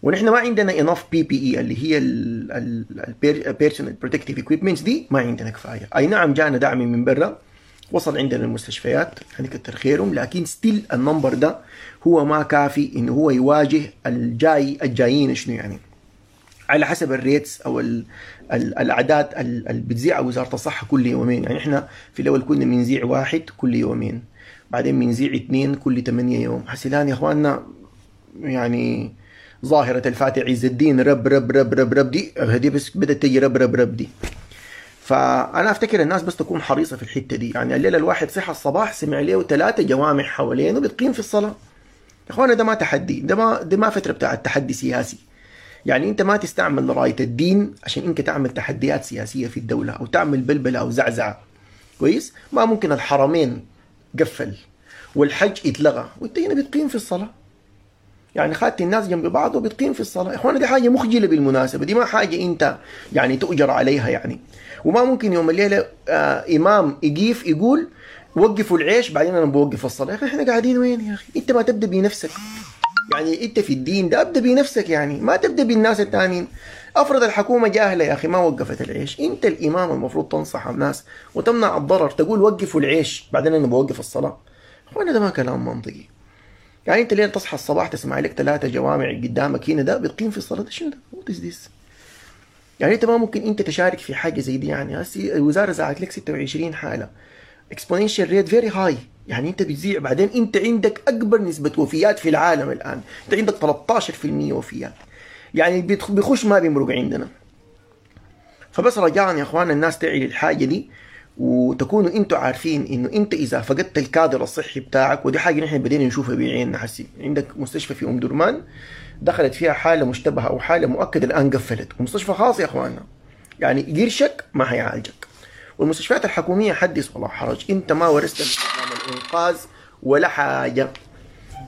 ونحن ما عندنا enough PPE اللي هي ال personal protective equipments دي، ما عندنا كفاية. اي نعم جانا دعم من برا وصل عندنا المستشفيات يعني كتر خيرهم، لكن still ال number ده هو ما كافي انه هو يواجه الجاي الجايين شنو يعني على حسب ال rates او ال ال الاعداد اللي بتذيعها وزارة الصحة كل يومين. يعني احنا في الاول كنا بنذيع واحد كل يومين، بعدين بنذيع اثنين كل ثمانية يوم. هسه الان يا اخواننا يعني ظاهره الفاتح عز الدين رب رب رب رب رب دي هدي بس بدات تجي رب رب رب دي. فانا افتكر الناس بس تكون حريصة في الحتة دي. يعني الليلة الواحد صحى الصباح سمع له ثلاثة جوامع حوالينه بتقيم في الصلاة. يا اخوانا ده ما تحدي، ده ما ده ما فترة بتاع التحدي سياسي. يعني انت ما تستعمل رايه الدين عشان انت تعمل تحديات سياسية في الدولة او تعمل بلبلة او زعزعة. كويس؟ ما ممكن الحرمين قفل والحج اتلغى وانت هنا بتقيم في الصلاة. يعني خدت الناس جنب بعض وبتقيم في الصلاة. يا اخوانا دي حاجة مخجله بالمناسبة، دي ما حاجة انت يعني تؤجر عليها يعني. وما ممكن يوم الليلة آه امام يقيف يقول وقفوا العيش بعدين انا بوقف الصلاة. يا اخي احنا قاعدين وين يا اخي؟ انت ما تبدا بنفسك. يعني انت في الدين ده ابدا بنفسك، يعني ما تبدا بالناس الثانيين. افرض الحكومة جاهله يا اخي ما وقفت العيش، انت الامام المفروض تنصح الناس وتمنع الضرر، تقول وقفوا العيش بعدين انا بوقف الصلاة. اخوانا ده ما كلام منطقي. يعني انت ليه تصحى الصباح تسمع لك ثلاثة جوامع قدامك هنا ده بتقيم في الصلاة، ده شنو ده؟ what is this؟ يعني انت ما ممكن انت تشارك في حاجة زي دي. يعني هسي الوزارة زعت لك ستة وعشرين حاله، exponential rate very high. يعني انت بتذيع، بعدين انت عندك اكبر نسبه وفيات في العالم الان، انت عندك ثلاثة عشر بالمية وفيات، يعني بيخش ما بيمرق عندنا. فبس رجاء يا اخوان الناس تعي للحاجة دي، وتكونوا انتوا عارفين انه انت اذا فقدت الكادر الصحي بتاعك، ودي حاجة نحن بدينا نشوفها بعيننا. حسي عندك مستشفى في ام درمان دخلت فيها حاله مشتبهة او حاله مؤكدة الان قفلت، ومستشفى خاص يا اخواننا، يعني قرشك ما حيعالجك. والمستشفيات الحكومية حدث ولا حرج، انت ما ورثت من نظام الانقاذ ولا حاجة،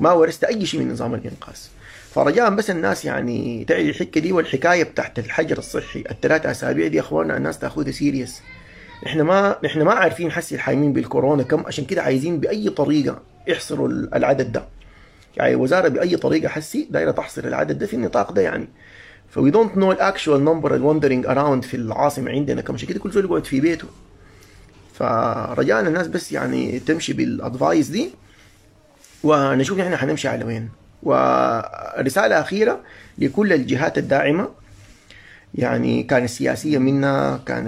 ما ورثت اي شيء من نظام الانقاذ. فرجاء بس الناس يعني تعي الحكة دي، والحكاية بتاعت الحجر الصحي الثلاث اسابيع دي يا اخواننا الناس تاخذها serious. احنا ما احنا ما عارفين حسي الحايمين بالكورونا كم، عشان كده عايزين باي طريقه يحصروا العدد ده. يعني الوزارة باي طريقه حسي دايرة تحصر العدد ده في النطاق ده يعني. ف we don't know ال actual number ال wandering around في العاصمة عندنا كم، عشان كده كل زول يقعد في بيته. فرجاء الناس بس يعني تمشي بال advice دي، ونشوف نحن حنمشي على وين. ورسالة اخيرة لكل الجهات الداعمة، يعني كان السياسية منها، كان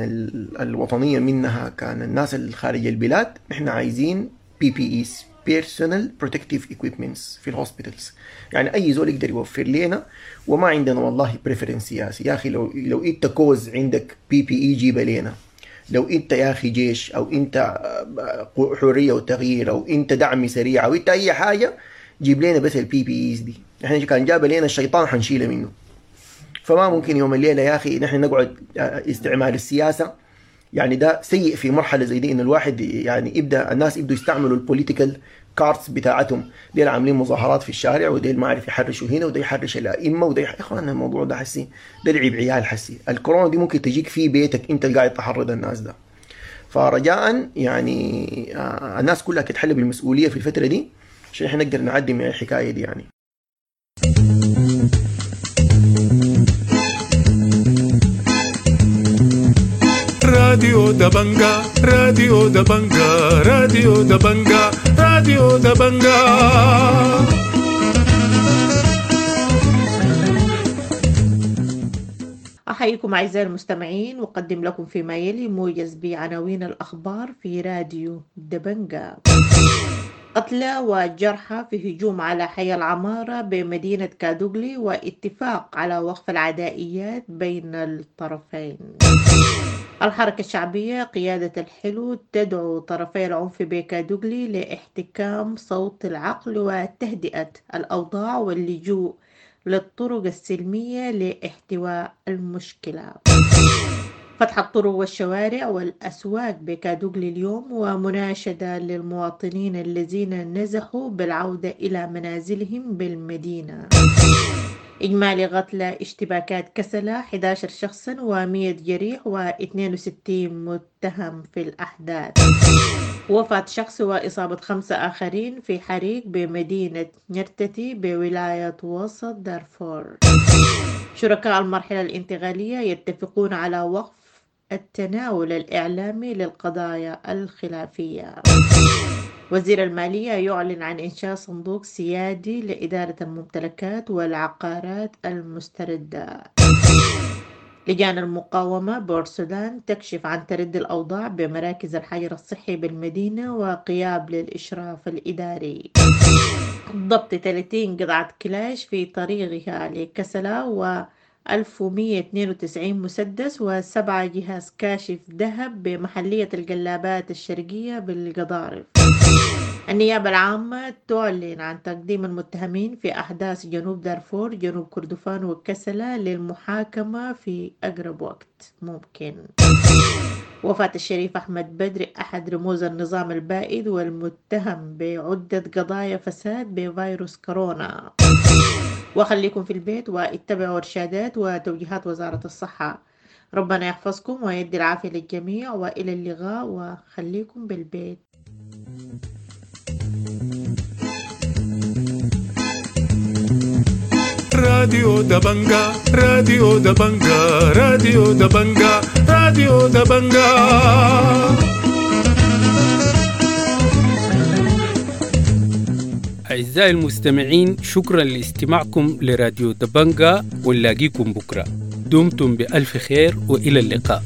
الوطنية منها، كان الناس اللي خارج البلاد، احنا عايزين PPEs Personal Protective Equipments في ال hospitals. يعني اي زول يقدر يوفر لنا، وما عندنا والله preference سياسي يا اخي. لو لو انت كوز عندك PPE جيبه لنا، لو انت يا اخي جيش او انت حرية وتغيير او انت دعم سريع او انت اي حاجة، جيب لنا بس ال PPEs دي. احنا كان جاب لنا الشيطان حنشيله منه. فما ممكن يوم الليلة يا اخي نحن نقعد استعمال السياسة، يعني ده سيء في مرحلة زي دي، انه الواحد يعني يبدا الناس يبدوا يستعملوا ال political cards بتاعتهم، ديل عاملين مظاهرات في الشارع، وديل ما عارف يحرشوا هنا، وده يحرش الائمة، وده يح... يا اخوان الموضوع ده حسي ده لعب عيال حسي. الكورونا دي ممكن تجيك في بيتك انت اللي قاعد تحرض الناس ده. فرجاء يعني الناس كلها تتحلى بالمسؤولية في الفترة دي عشان احنا نقدر نعدي من الحكاية دي يعني. راديو دبنجا، راديو دبنجا، راديو دبنجا، راديو دبنجا. أحييكم أعزائي المستمعين، وأقدم لكم فيما يلي موجز بعناوين الأخبار في راديو دبنجا. قتلى وجرحى في هجوم على حي العمارة بمدينة كادوغلي، واتفاق على وقف العدائيات بين الطرفين. الحركة الشعبية قيادة الحلو تدعو طرفي العنف بكادوغلي لاحتكام صوت العقل وتهدئة الأوضاع واللجوء للطرق السلمية لاحتواء المشكلة. فتح الطرق والشوارع والأسواق بكادوغلي اليوم، ومناشدة للمواطنين الذين نزحوا بالعودة إلى منازلهم بالمدينة. إجمالي قتلى اشتباكات كسلة أحد عشر شخصا ومئة جريح واثنين وستين متهم في الأحداث. وفاة شخص وإصابة خمسة آخرين في حريق بمدينة نرتتي بولاية وسط دارفور. شركاء المرحلة الانتقالية يتفقون على وقف التناول الإعلامي للقضايا الخلافية. وزير المالية يعلن عن إنشاء صندوق سيادي لإدارة الممتلكات والعقارات المستردة. لجان المقاومة بورسودان تكشف عن تردي الأوضاع بمراكز الحجر الصحي بالمدينة وقياب للإشراف الإداري. ضبط ثلاثين قطعة كلاش في طريقها لكسلة و ألف ومية اثنين وتسعين مسدس وسبعة جهاز كاشف ذهب بمحلية القلابات الشرقية بالقضارف. النيابة العامة تعلن عن تقديم المتهمين في أحداث جنوب دارفور جنوب كردفان وكسلة للمحاكمة في أقرب وقت ممكن. وفاة الشريف أحمد بدر أحد رموز النظام البائد والمتهم بعدة قضايا فساد بفيروس كورونا. وخليكم في البيت واتبعوا إرشادات وتوجيهات وزارة الصحة. ربنا يحفظكم ويدي العافية للجميع، وإلى اللقاء وخليكم بالبيت. راديو دبنجا، راديو دبنجا، راديو دبنجا، راديو دبنجا. أعزائي المستمعين، شكرا لاستماعكم لراديو دبنجا، ونلاقيكم بكرة. دمتم بألف خير وإلى اللقاء.